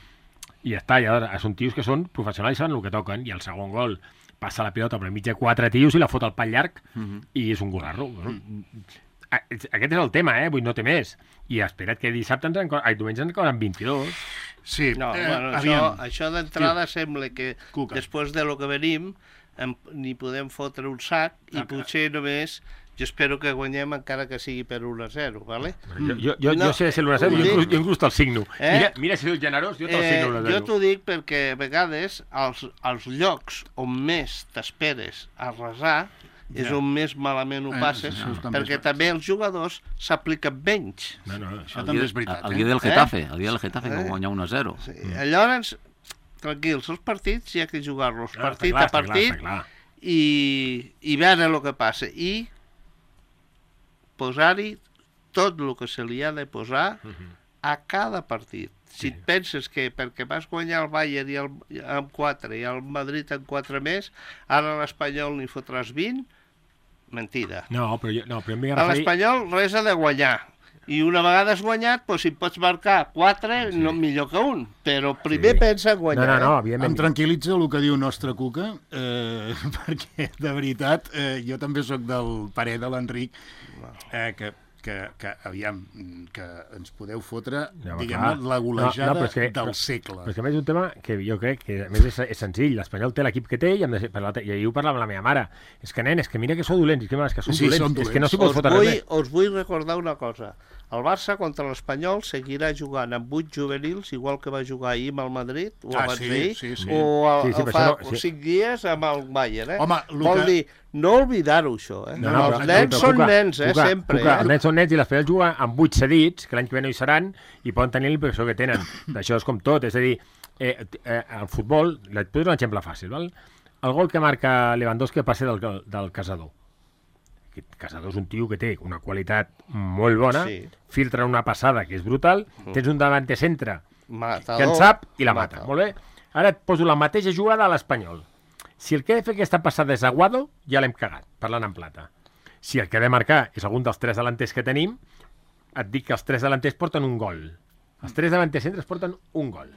I ja està, ja són tios que són professionals i saben el que toquen, i el segon gol passa la pilota per enmig de quatre tios i la fot al pal llarg, mm-hmm. i és un golarro. Mm. Aquest és el tema, eh? Vull no té més. I espera't que dissabte ens en... Ai, diumenge ens en quedaran vint-i-dos. Sí, No, eh, bueno, això, aviam. això d'entrada sembla que Cuca. després de lo que venim em, n'hi podem fotre un sac i Ah, potser només jo espero que guanyem encara que sigui per un a zero, ¿vale? Jo, jo, jo, No, jo sé ser l'un a zero, ho jo, dic. inclús, jo inclús te'l signo. Eh? Mira, mira si soc generós, jo te'l signo l'un a jo zero. t'ho dic perquè a vegades als, als llocs on més t'esperes a resar és Ja. on més malament ho Eh, passes, això també perquè és també els jugadors s'apliquen menys. No, no, Això El també dia, és veritat, el eh? dia del Getafe, el dia del Getafe que Eh? va guanyar un a zero. Sí. Llavors, tranquils, els partits hi ha que jugar-los No, partit està clar, a partit està clar, està clar. i, i veure el que passa i posar-hi tot el que se li ha de posar a cada partit. Si et penses que perquè vas guanyar el Bayern i el, amb quatre i el Madrid amb quatre més, ara a l'Espanyol n'hi fotràs vint, mentida. No, però, jo, no, però em vinc a A referir... l'Espanyol res ha de guanyar. I una vegada has guanyat, doncs si pots marcar quatre, sí. no millor que un. Però primer Sí. sí. pensa en No, guanyar. no, no, eh? Em evidentment. tranquil·litza el que diu nostre Cuca, eh, perquè, de veritat, eh, jo també sóc del parer de l'Enric, eh, que, que, que, aviam, que ens podeu fotre, No, diguem-ne, clar. la golejada No, no, però és que- del però- segle. Però és que a més és un tema que jo crec que a més és, és senzill. L'Espanyol té l'equip que té i, hem de ser, per l'altre- i ahir ho parlava amb la meva mare. És que, nen, és que mira que sou dolents, és que, és que són Sí, dolents. són És que no s'hi dolents. pot Us fotre vull, res. us vull recordar una cosa. El Barça contra l'Espanyol seguirà jugant amb vuit juvenils, igual que va jugar ahir amb el Madrid, o Ah, abans sí, d'ahir, sí, sí. o, el, Sí, sí, o però fa això no- sí. cinc dies amb el Bayern. Eh? Home, el Vol que- dir, no oblidar-ho, això. Eh? No, no, els però- nens però, són Cuca, nens, eh, Cuca, sempre. Cuca, eh? Els nens són nens i l'Espanyol juga amb vuit cedits, que l'any que ve no hi seran, i poden tenir la impressió que tenen. Això és com tot, és a dir, eh, eh, el futbol, et poso un exemple fàcil, val? El gol que marca Lewandowski passa del, del Casador. Aquest Casador és un tio que té una qualitat molt bona, Sí. filtra una passada que és brutal, tens un davanter centre Matador, que en sap i la mata. matador. Molt bé? Ara et poso la mateixa jugada a l'Espanyol. Si el que ha de fer aquesta passada és Aguado, ja l'hem cagat, parlant en plata. Si el que ha de marcar és algun dels tres delanters que tenim, et dic que els tres delanters porten un gol. Els tres delanters centres porten un gol.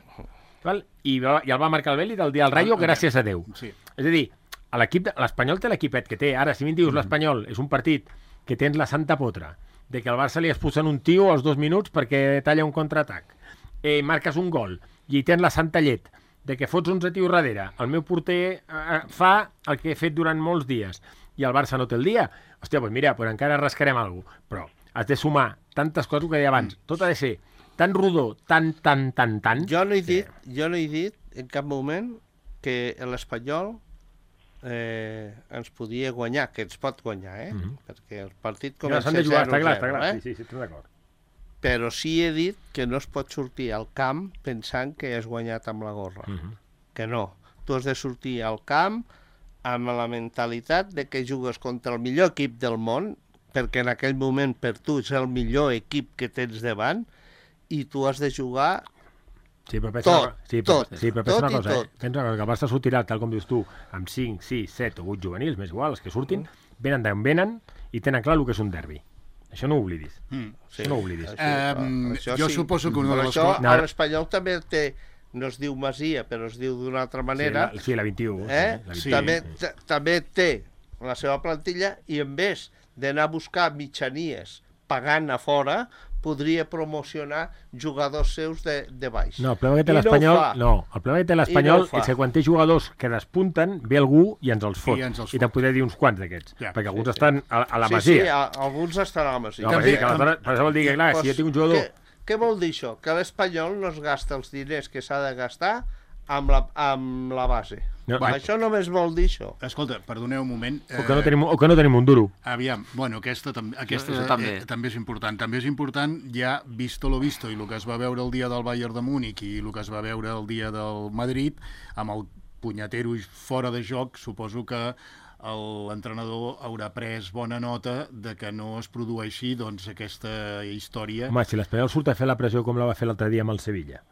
Val? I, va, I el va marcar el Beli del dia del Rayo, gràcies a Déu. Sí. És a dir, a l'equip, l'Espanyol té l'equipet que té. Ara, si a mi em dius l'Espanyol és un partit que tens la santa potra, de que al Barça li expulsen un tio als dos minuts perquè talla un contraatac, eh, marques un gol, i tens la santa llet, de que fots onze tios darrere, el meu porter eh, fa el que he fet durant molts dies, i el Barça no té el dia, hòstia, doncs mira, pues encara rascarem alguna cosa. Però has de sumar tantes coses que deia abans. Tot ha de ser tan rodó, tan, tan, tan, tan... Jo no he dit, jo no he dit en cap moment que l'Espanyol eh, ens podia guanyar, que ens pot guanyar, eh? Mhm. Perquè el partit Ja, comença s'han de jugar, està clar, zero està clar. zero, Sí, eh? sí, sí, estic d'acord. Però sí he dit que no es pot sortir al camp pensant que has guanyat amb la gorra. Mhm. Que no. Tu has de sortir al camp amb la mentalitat de que jugues contra el millor equip del món, perquè en aquell moment per tu és el millor equip que tens davant, i tu has de jugar Sí, però pensa Tot, una, sí, però, tot, sí, però pensa tot una i cosa, tot. eh? Pensa una cosa, que el Barça sortirà, tal com dius tu, amb cinc, sis, set o vuit juvenils, més igual, els que surtin, venen d'on venen i tenen clar el que és un derbi. Això no ho oblidis. Mm. Sí, Això no ho oblidis. això, Em, això jo sí. suposo que una Però de les això, coses... No, ara- l'Espanyol també té, no es diu Masia, però es diu d'una altra manera, Sí, la, sí, la vint-i-u. eh? Sí, la Sí. també, t- també té la seva plantilla i en vez d'anar a buscar mitjanies pagant a fora, podria promocionar jugadors seus de, de baix. No, el problema que té I no ho l'Espanyol... fa. No, el problema que té I no l'Espanyol ho fa. és que quan té jugadors que despunten, ve algú i ens els fot. I ens els I te'n fot. podria dir uns quants d'aquests, Ja, perquè sí, alguns sí. estan a, a la sí, Masia. Sí, a, alguns estan a la Masia. No, També- Masia, que aleshores, per això vol dir que, clar, si jo tinc un jugador... Què, què vol dir això? Que l'Espanyol no es gasta els diners que s'ha de gastar amb la, amb la base. No, Va, no. això només vol dir això. Escolta, perdoneu un moment. O que no tenim, o que no tenim un duro. Aviam, bueno, aquesta, tam aquesta Això eh, també. eh, també és important. També és important, ja visto lo visto, i el que es va veure el dia del Bayern de Múnich i el que es va veure el dia del Madrid, amb el punyatero fora de joc, suposo que l'entrenador haurà pres bona nota de que no es produeixi doncs, aquesta història. Home, si l'Espanyol surt a fer la pressió com la va fer l'altre dia amb el Sevilla,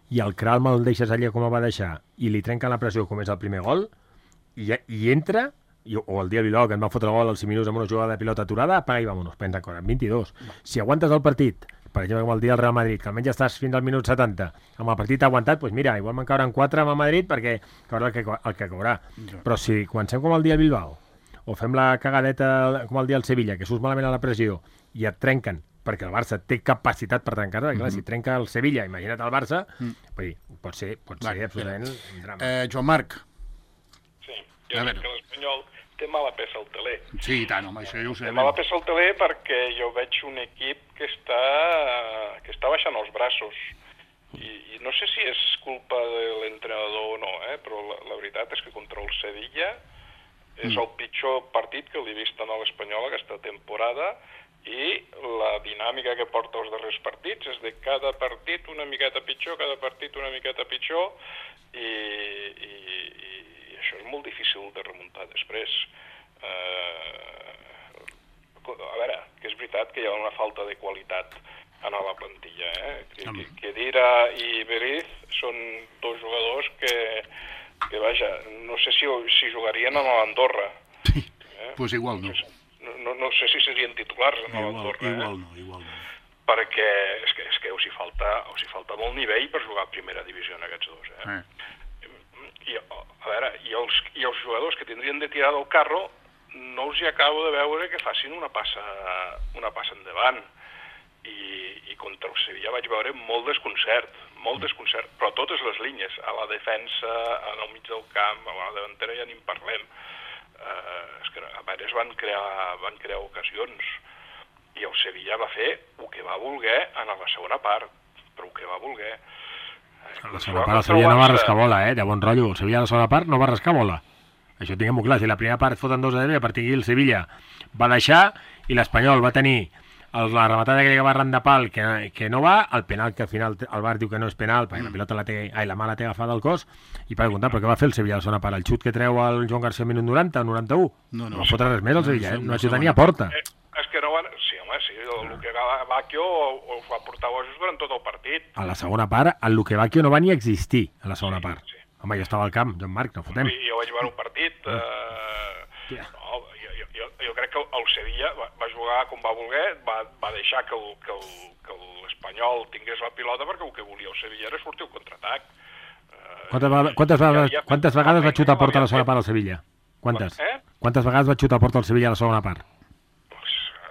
i el Kral me'l deixes allà com el va deixar, i li trenquen la pressió com és el primer gol, i, i entra, i, o el dia Bilbao, que ens van fotre el gol als cinc minuts amb una jugada de pilota aturada, apaga i vámonos, pensa con vint-i-dos. Si aguantes el partit, per exemple, com el dia del Real Madrid, que almenys estàs fins al minut setanta, amb el partit aguantat, doncs mira, igual me'n cauran quatre amb el Madrid perquè caurà el que, el que caurà. Però si comencem com el dia del Bilbao, o fem la cagadeta com el dia del Sevilla, que surts malament a la pressió i et trenquen, perquè el Barça té capacitat per trencar-la, clar, si trenca el Sevilla, imagina't el Barça, vull dir, pot ser, pot ser Va, absolutament un drama. Eh, Joan Marc. Sí, A jo veure. crec que l'Espanyol té mala peça al teler. Sí, i tant, home, això ja ho Té sabem. mala peça al teler perquè jo veig un equip que està, que està baixant els braços. I, I no sé si és culpa de l'entrenador o no, eh? Però la, la veritat és que contra el Sevilla és el pitjor partit que l'he vist en l'Espanyol aquesta temporada, i la dinàmica que porta els darrers partits és de cada partit una miqueta pitjor, cada partit una miqueta pitjor, i, i, i això és molt difícil de remuntar després. Eh, a veure, que és veritat que hi ha una falta de qualitat en la plantilla, eh? Que, que, que Dira i Beriz són dos jugadors que, que vaja, no sé si, si jugarien a l'Andorra. Sí, Eh? pues igual no. No, no, no sé si serien titulars en Igual, l'Andorra, eh? igual no, igual no. Perquè és que, és que us, hi falta, us hi falta molt nivell per jugar a primera divisió en aquests dos. Eh? Eh. I, a veure, i els, i els jugadors que tindrien de tirar del carro no us hi acabo de veure que facin una passa, una passa endavant. I, i contra el Sevilla vaig veure molt desconcert, molt desconcert, però a totes les línies, a la defensa, en el mig del camp, a la davantera ja ni en parlem. Eh, és que a veure, es van crear, van crear ocasions, i el Sevilla va fer el que va voler en la segona part, però el que va voler. A la segona part el Sevilla no va rascar bola, eh? De bon rotllo. El Sevilla a la segona part no va rascar bola. Això tinguem-ho clar. Si la primera part foten dos a zero, a partir d'aquí el Sevilla va deixar i l'Espanyol va tenir el, la rematada que va arran de pal que, que no va, el penal que al final el Bar diu que no és penal, perquè la pilota la té, ai, la mà la té agafada al cos, i per comptar, però què va fer el Sevilla a la segona part? El xut que treu el Joan García al minut noranta o noranta-u? No, no. No va fotre res més el Sevilla, eh? No va xutar ni a segona porta. Eh, és que no van... Sí, home, sí, el Luque Bacchio us va portar bojos durant tot el partit. A la segona part, el Luque Bacchio no va ni existir, a la segona part. Sí. Home, jo estava al camp, Joan Marc, no fotem. Sí, jo vaig veure un partit... Eh, no, jo, jo, jo, jo crec que el Sevilla va, va jugar com va voler, va, va deixar que el, que el, que l'Espanyol tingués la pilota perquè el que volia el Sevilla era sortir al contraatac. Eh, quantes, vegades, quantes, vegades, quantes vegades va xutar a porta a la segona part al Sevilla? Quantes? Eh? Quantes vegades va xutar a porta al Sevilla a la segona part?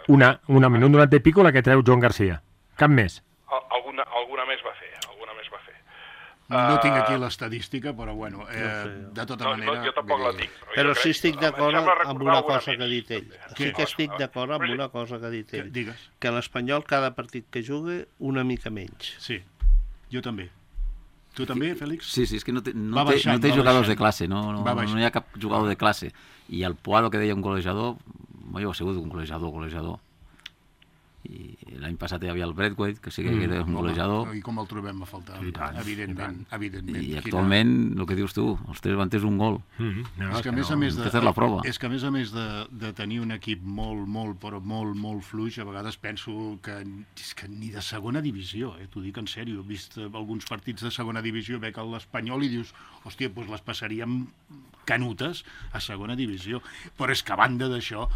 Una, una minut durant de pico la que treu Joan Garcia. Cap més. Alguna, alguna més va fer, alguna més va fer. No tinc aquí l'estadística, però bueno, eh, de tota no, manera... No, jo tampoc la tinc. Però, però sí estic d'acord amb una cosa que ha dit ell. Sí que estic cosa? d'acord amb una cosa que ha dit ell. Digues. Que l'Espanyol cada partit que jugui una mica menys. Sí, jo també. Tu també, Fèlix? Sí, sí, és que no té, no Va té, baixant, no té va jugadors baixant. de classe, no, no, Va no, baixant. no hi ha cap jugador de classe. I el Puado, que deia un golejador, jo he sigut un golejador, golejador. I l'any passat hi havia el Braithwaite, que sí que era un golejador. I com el trobem a faltar? I tant, evidentment, evidentment. I Quina- actualment, el que dius tu, els tres van un gol. Mm-hmm. No, És que a més a més de, Aquesta és la prova. és que a més a més de, de tenir un equip molt, molt, però molt, molt fluix, a vegades penso que, és que ni de segona divisió, eh, t'ho dic en sèrio, he vist alguns partits de segona divisió, veig l'Espanyol i dius, hòstia, doncs les passaríem canutes a segona divisió. Però és que a banda d'això,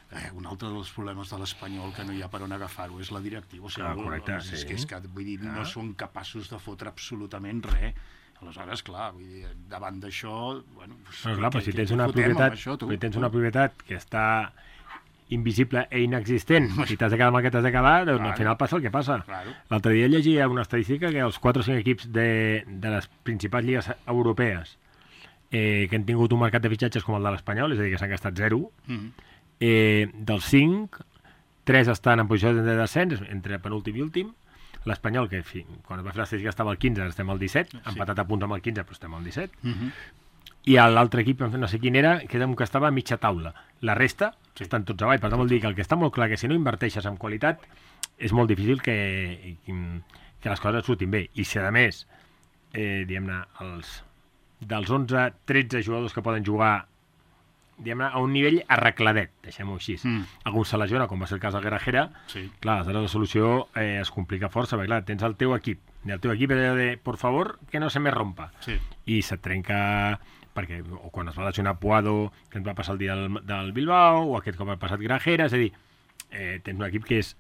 Eh, un altre dels problemes de l'Espanyol que no hi ha per on agafar-ho és la directiva. O sigui, Ah, correcte, és, sí. que, és que vull dir, no són capaços de fotre absolutament res. Aleshores, clar, vull dir, davant d'això... Bueno, doncs, No, clar, però si què- tens què una fotem amb propietat, això, tu? si tens una propietat que està invisible e inexistent i t'has de quedar amb el que t'has de quedar, doncs Claro. al final passa el que passa. Claro. L'altre dia llegia una estadística que els quatre o cinc equips de, de les principals lligues europees eh, que han tingut un mercat de fitxatges com el de l'Espanyol, és a dir, que s'han gastat zero, Mhm. eh, dels cinc, tres estan en posició de descens, entre penúltim i últim. L'Espanyol, que fi, quan es va fer l'estadística estava al quinze, ara estem al disset, sí. Empatat a punts amb el quinze, però estem al disset. Mhm. I l'altre equip, no sé quin era, que era un que estava a mitja taula. La resta sí. estan tots avall. Per tant, vol dir que el que està molt clar que si no inverteixes en qualitat és molt difícil que, que les coses surtin bé. I si, a més, eh, diguem-ne, els, dels onze tretze jugadors que poden jugar diguem-ne, a un nivell arregladet, deixem-ho així. Mm. Algú se lesiona, com va ser el cas del Garajera, Sí. clar, aleshores la solució eh, es complica força, perquè clar, tens el teu equip, i el teu equip és de, por favor, que no se me rompa. Sí. I se't trenca, perquè o quan es va lesionar Puado, que ens va passar el dia del, del Bilbao, o aquest com ha passat Grajera, és a dir, eh, tens un equip que és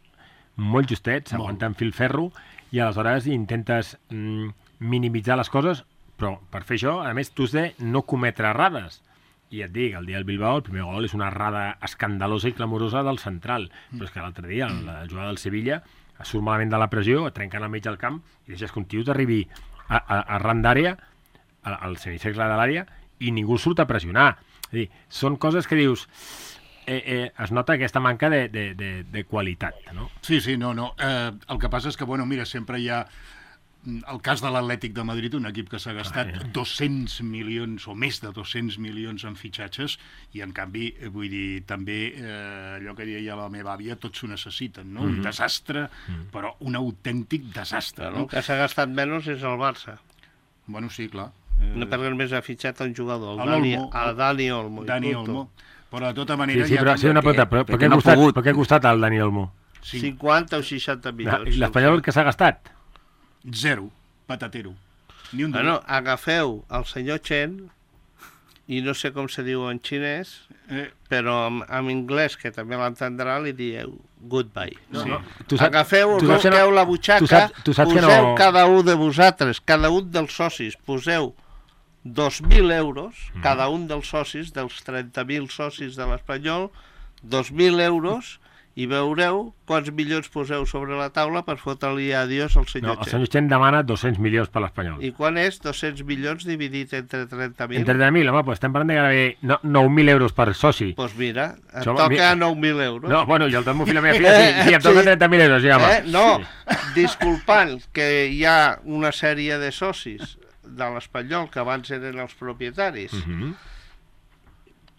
molt justet, s'aguanta en fil ferro, i aleshores intentes mm, minimitzar les coses, però per fer això, a més, tu has de no cometre errades. I et dic, el dia del Bilbao, el primer gol és una errada escandalosa i clamorosa del central, però és que l'altre dia, la jugada del Sevilla, surt malament de la pressió, trencant al mig del camp, i deixes que un tio t'arribi a, a, a ran d'àrea, al semicercle de l'àrea, i ningú surt a pressionar. És a dir, són coses que dius... Eh, eh, es nota aquesta manca de, de, de, de qualitat, no? Sí, sí, no, no. Eh, el que passa és que, bueno, mira, sempre hi ha el cas de l'Atlètic de Madrid, un equip que s'ha gastat Ah, ja. dos-cents milions o més de dos-cents milions en fitxatges i, en canvi, eh, vull dir, també eh, allò que deia la meva àvia, tots ho necessiten, no? Un desastre, però un autèntic desastre, El no? que s'ha gastat menys és el Barça. Bueno, sí, clar. No perquè només ha fitxat un jugador, el El Dani, Olmo. el Dani Olmo. i Dani punto. Olmo. Però, de tota Sí, manera... sí, ja però com sí, una que- pregunta, però per perquè què ha no ha costat, pogut. per què ha costat el Dani Olmo? Sí, cinquanta o seixanta milions. L'Espanyol que s'ha gastat? zero, patatero. Ni un Bueno, agafeu el senyor Chen, i no sé com se diu en xinès, Eh, però en, en anglès, que també l'entendrà, li dieu goodbye. No? Sí. No? Tu saps- Agafeu, tu saps que no- busqueu la butxaca, tu saps- tu saps que poseu no- cada un de vosaltres, cada un dels socis, poseu dos mil euros, Mhm. cada un dels socis, dels trenta mil socis de l'Espanyol, dos mil euros, i veureu quants milions poseu sobre la taula per fotre-li adiós al No, senyor el Chen. senyor Chen demana dos-cents milions per l'Espanyol. I quan és dos-cents milions dividit entre trenta mil? Entre trenta mil, home, doncs estem parlant de gairebé no, nou mil euros per soci. Doncs pues mira, et Som- toca mi- nou mil euros. No, bueno, i el meu fill i la meva filla, sí, sí, em toquen Sí. trenta mil euros, sí, home. Eh? No, disculpant que hi ha una sèrie de socis de l'Espanyol que abans eren els propietaris, Uh -huh,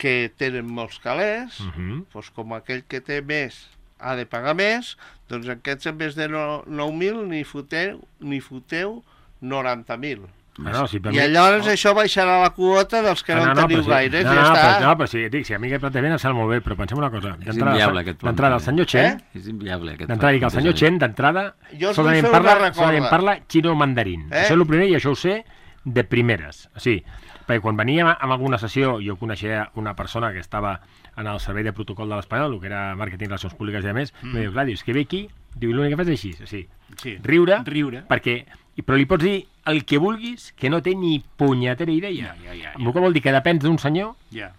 que tenen molts calés, uh -huh. doncs com aquell que té més ha de pagar més, doncs aquests en vez de no, nou mil ni foteu, ni foteu noranta mil. No, no, si per I mi- llavors això baixarà la quota dels que no, en teniu però sí, gaires, no, ja no, està. Però, no, però sí, dic, si a mi aquest plantejament em sembla molt bé, però pensem una cosa. És inviable, aquest D'entrada, el senyor Chen, És inviable, aquest d'entrada, dic, el senyor plantejament. Chen, d'entrada, Jo us vull solament fer una parla, recorda. solament parla xino-mandarín. Eh? Això és el primer i això ho sé de primeres. Sí, perquè quan veníem en alguna sessió, jo coneixia una persona que estava en el servei de protocol de l'Espanyol, el que era màrqueting, relacions públiques i a més, mm. em diu, clar, dius, que ve aquí, diu, l'únic que fas és així, sí. Sí. Riure, Riure. perquè, però li pots dir el que vulguis, que no té ni punyetera idea. Ja, ja, ja, ja. El que vol dir que depens d'un senyor Ja.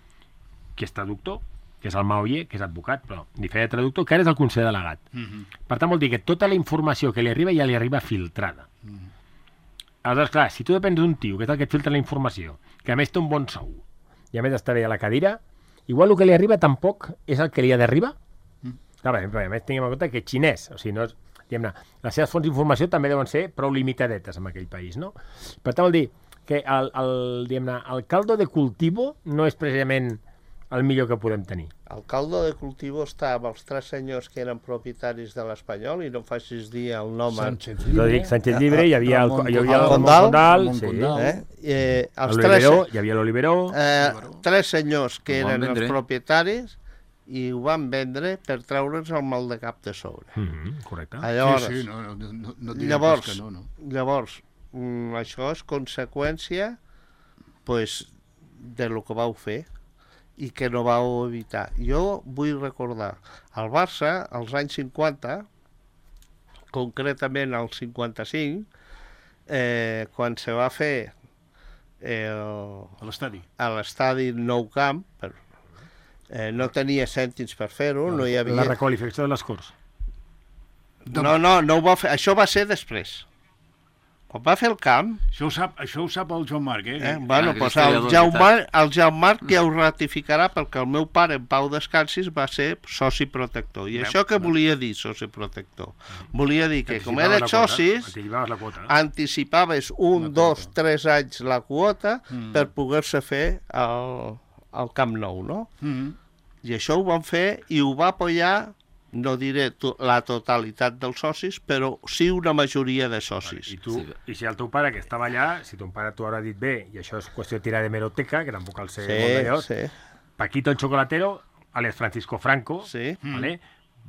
que és traductor, que és el Maoye, que és advocat, però ni feia de traductor, que ara és el conseller delegat. Mm -hmm. Per tant, vol dir que tota la informació que li arriba ja li arriba filtrada. Mm. Aleshores, clar, si tu depens d'un tio, que és el que et filtra la informació, que a més té un bon sou, i a més està bé a la cadira, igual el que li arriba tampoc és el que li ha d'arribar. Mm. Clar, bé, a més, tinguem en compte que xinès, o sigui, no és, diguem-ne, les seves fonts d'informació també deuen ser prou limitadetes en aquell país, no? Per tant, vol dir que el, el, diguem-ne, el caldo de cultivo no és precisament el millor que podem tenir. El caldo de cultivo està amb els tres senyors que eren propietaris de l'Espanyol, i no em facis dir el nom. Sánchez Jo Llibre. dic Sánchez Llibre, hi havia el, Ramon hi havia el Condal, Ramon Condal, Ramon sí, Condal. Eh? Eh, els tres, l'Oliveró, hi havia l'Oliveró, eh, tres senyors que Ho van eren els vendre. propietaris i ho van vendre per treure'ns el mal de cap de sobre. mm -hmm, correcte. Llavors, Sí, sí, no, no, no, no et diré llavors, pas que no, no. llavors mm, això és conseqüència pues, de lo que vau fer i que no vau evitar. Jo vull recordar, el Barça, als anys cinquanta, concretament al cinquanta-cinc, eh, quan se va fer el, A l'estadi. a l'estadi Nou Camp, per, eh, no tenia cèntims per fer-ho, no hi La havia... requalificació de les Corts. No, no, no ho va fer, això va ser després. Quan va fer el camp, Això ho sap, això ho sap el Joan Marc, eh? eh? bueno, que pues és el historiador, Jaume, el Jaume ja ho ratificarà, perquè el meu pare, en Pau Descansis, va ser soci protector. I Veu, això què veu. volia dir, soci protector? Volia dir que, com Anticipaves eres la quota, socis, anticipaves la quota. anticipaves un, dos, tres anys la quota Mm. per poder-se fer el, el Camp Nou, no? Mm. I això ho van fer i ho va apoyar, no diré to la totalitat dels socis, però sí una majoria de socis. I, tu, Sí. I si el teu pare, que estava allà, si ton pare t'ho haurà dit bé, i això és qüestió de tirar de meroteca, que tampoc cal ser molt Sí, d'allò, sí, Paquito el Chocolatero, alias Francisco Franco, sí. vale?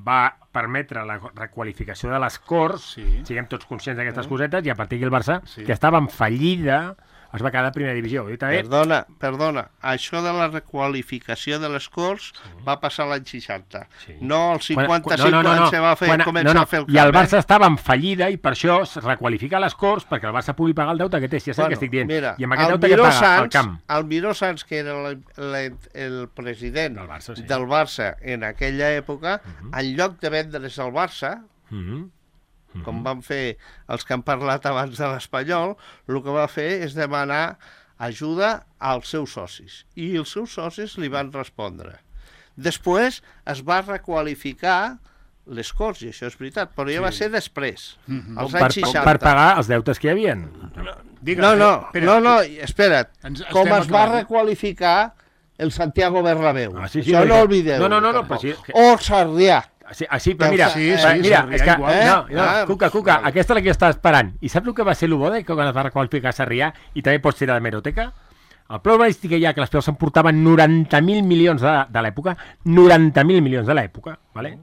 va permetre la requalificació de les Corts, Sí. siguem tots conscients d'aquestes cosetes, i a partir d'aquí el Barça, Sí. que estava en fallida, es va quedar a primera divisió. I també, Perdona, perdona, això de la requalificació de les Corts va passar l'any seixanta. Sí. No el quan- cinquanta-cinc, no, no, no, quan no. se va fer, Quan- començar no, no. a fer el I el camp. Barça estava en fallida i per això es requalifica les Corts perquè el Barça pugui pagar el deute que té, si és el que estic dient. Mira, I amb aquest el deute que Miró paga al Sans, camp. el Miró Sans, que era la, la, el president Del Barça, sí. del Barça en aquella època, en lloc de vendre's al Barça, Mhm. com van fer els que han parlat abans de l'Espanyol, el que va fer és demanar ajuda als seus socis. I els seus socis li van respondre. Després es va requalificar les Corts, i això és veritat, però ja va ser després, als Per, anys per, seixanta. per pagar els deutes que hi havia. Digues, No, no, espera, no, no, espera't. Ens- Com estem es va acabant. requalificar el Santiago Bernabéu. Ah, sí, sí, Això perquè- no oblideu. No, no, no, no, tampoc. però sí, que- O Sarrià. Sí, ah, sí, però mira, Sí, eh, sí, mira, Sarrià és que, igual. eh? no, no, Ah, Cuca, Cuca, vale. aquesta és la que jo estava esperant. I saps el que va ser el bo de que quan es va requalificar Sarrià i també pots tirar de meroteca? El preu urbanístic que hi ha, que les peus s'emportaven noranta mil milions de, de l'època, noranta mil milions de l'època, vale?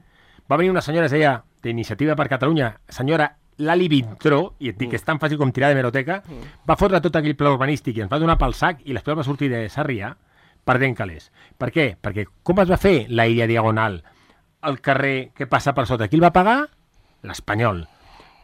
Va venir una senyora, es deia, d'Iniciativa per Catalunya, senyora Lali Vintró, i et dic que és tan fàcil com tirar de meroteca, va fotre tot aquell pla urbanístic i ens va donar pel sac i les peus va sortir de Sarrià perdent calés. Per què? Perquè com es va fer la illa diagonal, el carrer que passa per sota, qui el va pagar? L'Espanyol.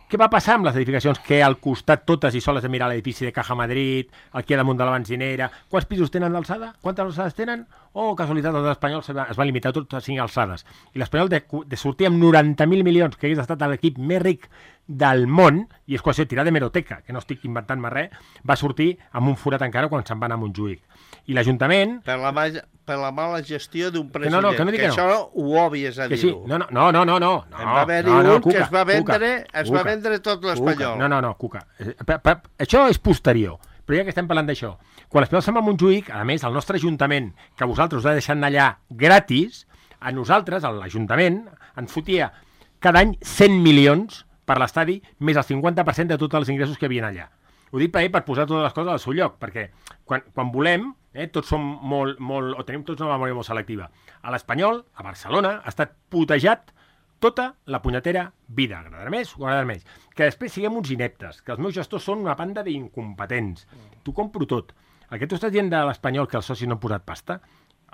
Què va passar amb les edificacions que al costat totes i soles de mirar l'edifici de Caja Madrid, aquí a damunt de la benzinera? Quants pisos tenen d'alçada? Quantes alçades tenen? Oh, casualitat, els espanyols es va, es va limitar tot a cinc alçades. I l'Espanyol de, de sortir amb noranta mil milions, que hagués estat l'equip més ric del món, i és qüestió de tirar de meroteca, que no estic inventant-me res, va sortir amb un forat encara quan se'n va anar a Montjuïc. I l'Ajuntament... Per la, ma per la mala gestió d'un Que president. no, no, que no dic que no. això ho obvies a Que sí, dir-ho. no, no, no, no, no, no, En va haver-hi no, no, un que Cuca, es va vendre, Cuca, es va Cuca, vendre tot Cuca. l'Espanyol. No, no, no, Cuca. Eh, pa, pa, això és posterior, però ja que estem parlant d'això, quan l'Espanyol se'n va a Montjuïc, a més, el nostre Ajuntament, que vosaltres us ha deixat anar allà gratis, a nosaltres, a l'Ajuntament, ens fotia cada any cent milions per l'estadi, més el cinquanta per cent de tots els ingressos que hi havia allà. Vull ho dic per, per posar totes les coses al seu lloc, perquè quan, quan volem, eh, tots som molt, molt, o tenim tots una memòria molt selectiva. A l'Espanyol, a Barcelona, ha estat putejat tota la punyetera vida, agradarà més o agradarà menys. Que després siguem uns ineptes, que els meus gestors són una banda d'incompetents. T'ho compro tot. El que tu estàs dient de l'Espanyol, que els socis no han posat pasta,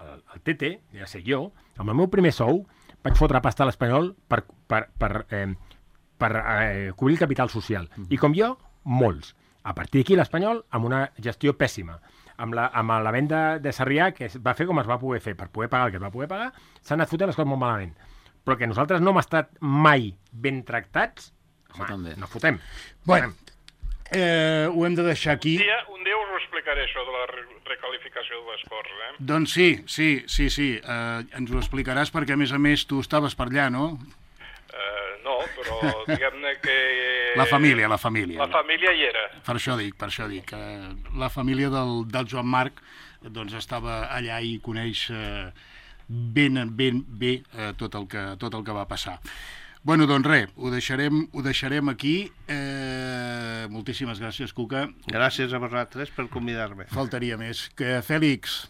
el, el T T, ja sé jo, amb el meu primer sou, vaig fotre pasta a l'Espanyol per, per, per, eh, per eh, cobrir el capital social. I com jo, molts. A partir d'aquí l'Espanyol, amb una gestió pèssima, amb la, amb la venda de Sarrià, que es va fer com es va poder fer, per poder pagar el que es va poder pagar, s'han anat fotent les coses molt malament. Però que nosaltres no hem estat mai ben tractats, home, no fotem. Bueno, eh, ho hem de deixar aquí. Un dia, un dia us ho explicaré, això de la re recalificació de les coses, eh? Doncs sí, sí, sí, sí. Eh, ens ho explicaràs perquè, a més a més, tu estaves per allà, no? Eh, no, però diguem-ne que... La família, la família. La família hi era. Per això dic, per això dic. Eh, la família del, del Joan Marc doncs estava allà i coneix eh, ben, ben bé eh, tot, el que, tot el que va passar. Bueno, doncs res, ho deixarem, ho deixarem aquí. Eh, moltíssimes gràcies, Cuca. Gràcies a vosaltres per convidar-me. Faltaria més. Que, Fèlix,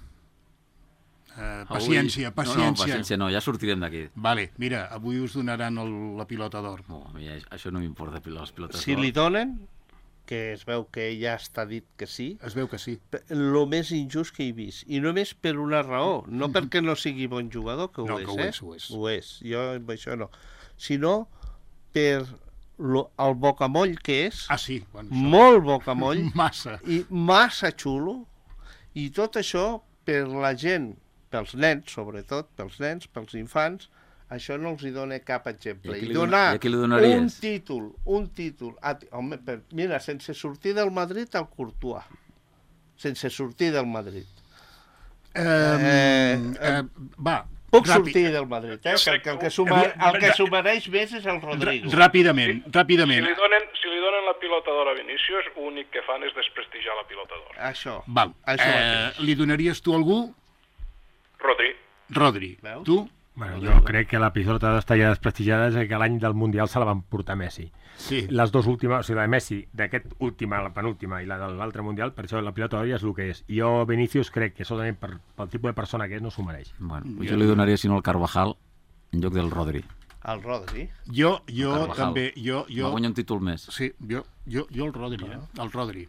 eh, paciència, avui... paciència. No, no, paciència no, ja sortirem d'aquí. Vale, mira, avui us donaran el, la pilota d'or. No, a mi això no m'importa, les pilotes d'or. Si li donen, que es veu que ja està dit que sí, Es veu que sí. el més injust que he vist. I només per una raó, no perquè no sigui bon jugador, que ho No, és, que ho eh? és, ho és. Ho és, jo amb això no. Sinó per lo, el bocamoll que és, Ah, sí. Bueno, això. molt bocamoll, Massa. i massa xulo, i tot això per la gent, pels nens, sobretot, pels nens, pels infants, això no els hi dona cap exemple. I a qui I li dona- donar i a qui li donaries? un títol, un títol, a, home, per, mira, sense sortir del Madrid al Courtois, sense sortir del Madrid. Eh, Eh, eh, va, Puc ràpid, sortir del Madrid, eh? Que, que, el que s'ho mer- el que s'ho mereix més és el Rodrigo. ràpidament, Si ràpidament. li, donen, si li donen la pilota d'or a Vinícius, l'únic que fan és desprestigiar la pilota d'or. Això. Val. Això Eh, mateix. li donaries tu a algú? Rodri. Rodri. Veus? Tu? Bueno, jo crec que la pilota d'estar ja desprestigiada és que l'any del Mundial se la van portar Messi. Sí. Les dues últimes, o sigui, la de Messi, d'aquest última, la penúltima, i la de l'altre Mundial, per això la pilota d'or ja és el que és. I jo, Vinícius, crec que solament per, pel tipus de persona que és, no s'ho mereix. Bueno, pues jo li donaria, si no, el Carvajal en lloc del Rodri. El Rodri. Jo, jo Carvajal. també, jo, Va jo, guanyar un títol més. sí, jo, jo, jo el Rodri, eh? El Rodri.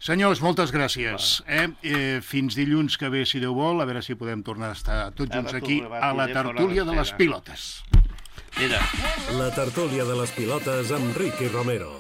Senyors, moltes gràcies. Eh? Eh, fins dilluns que ve, si Déu vol, a veure si podem tornar a estar tots Ara junts tu aquí rebatiré a la fora tertúlia de d'escena. les pilotes. Mira. La tertúlia de les pilotes amb Ricky Romero.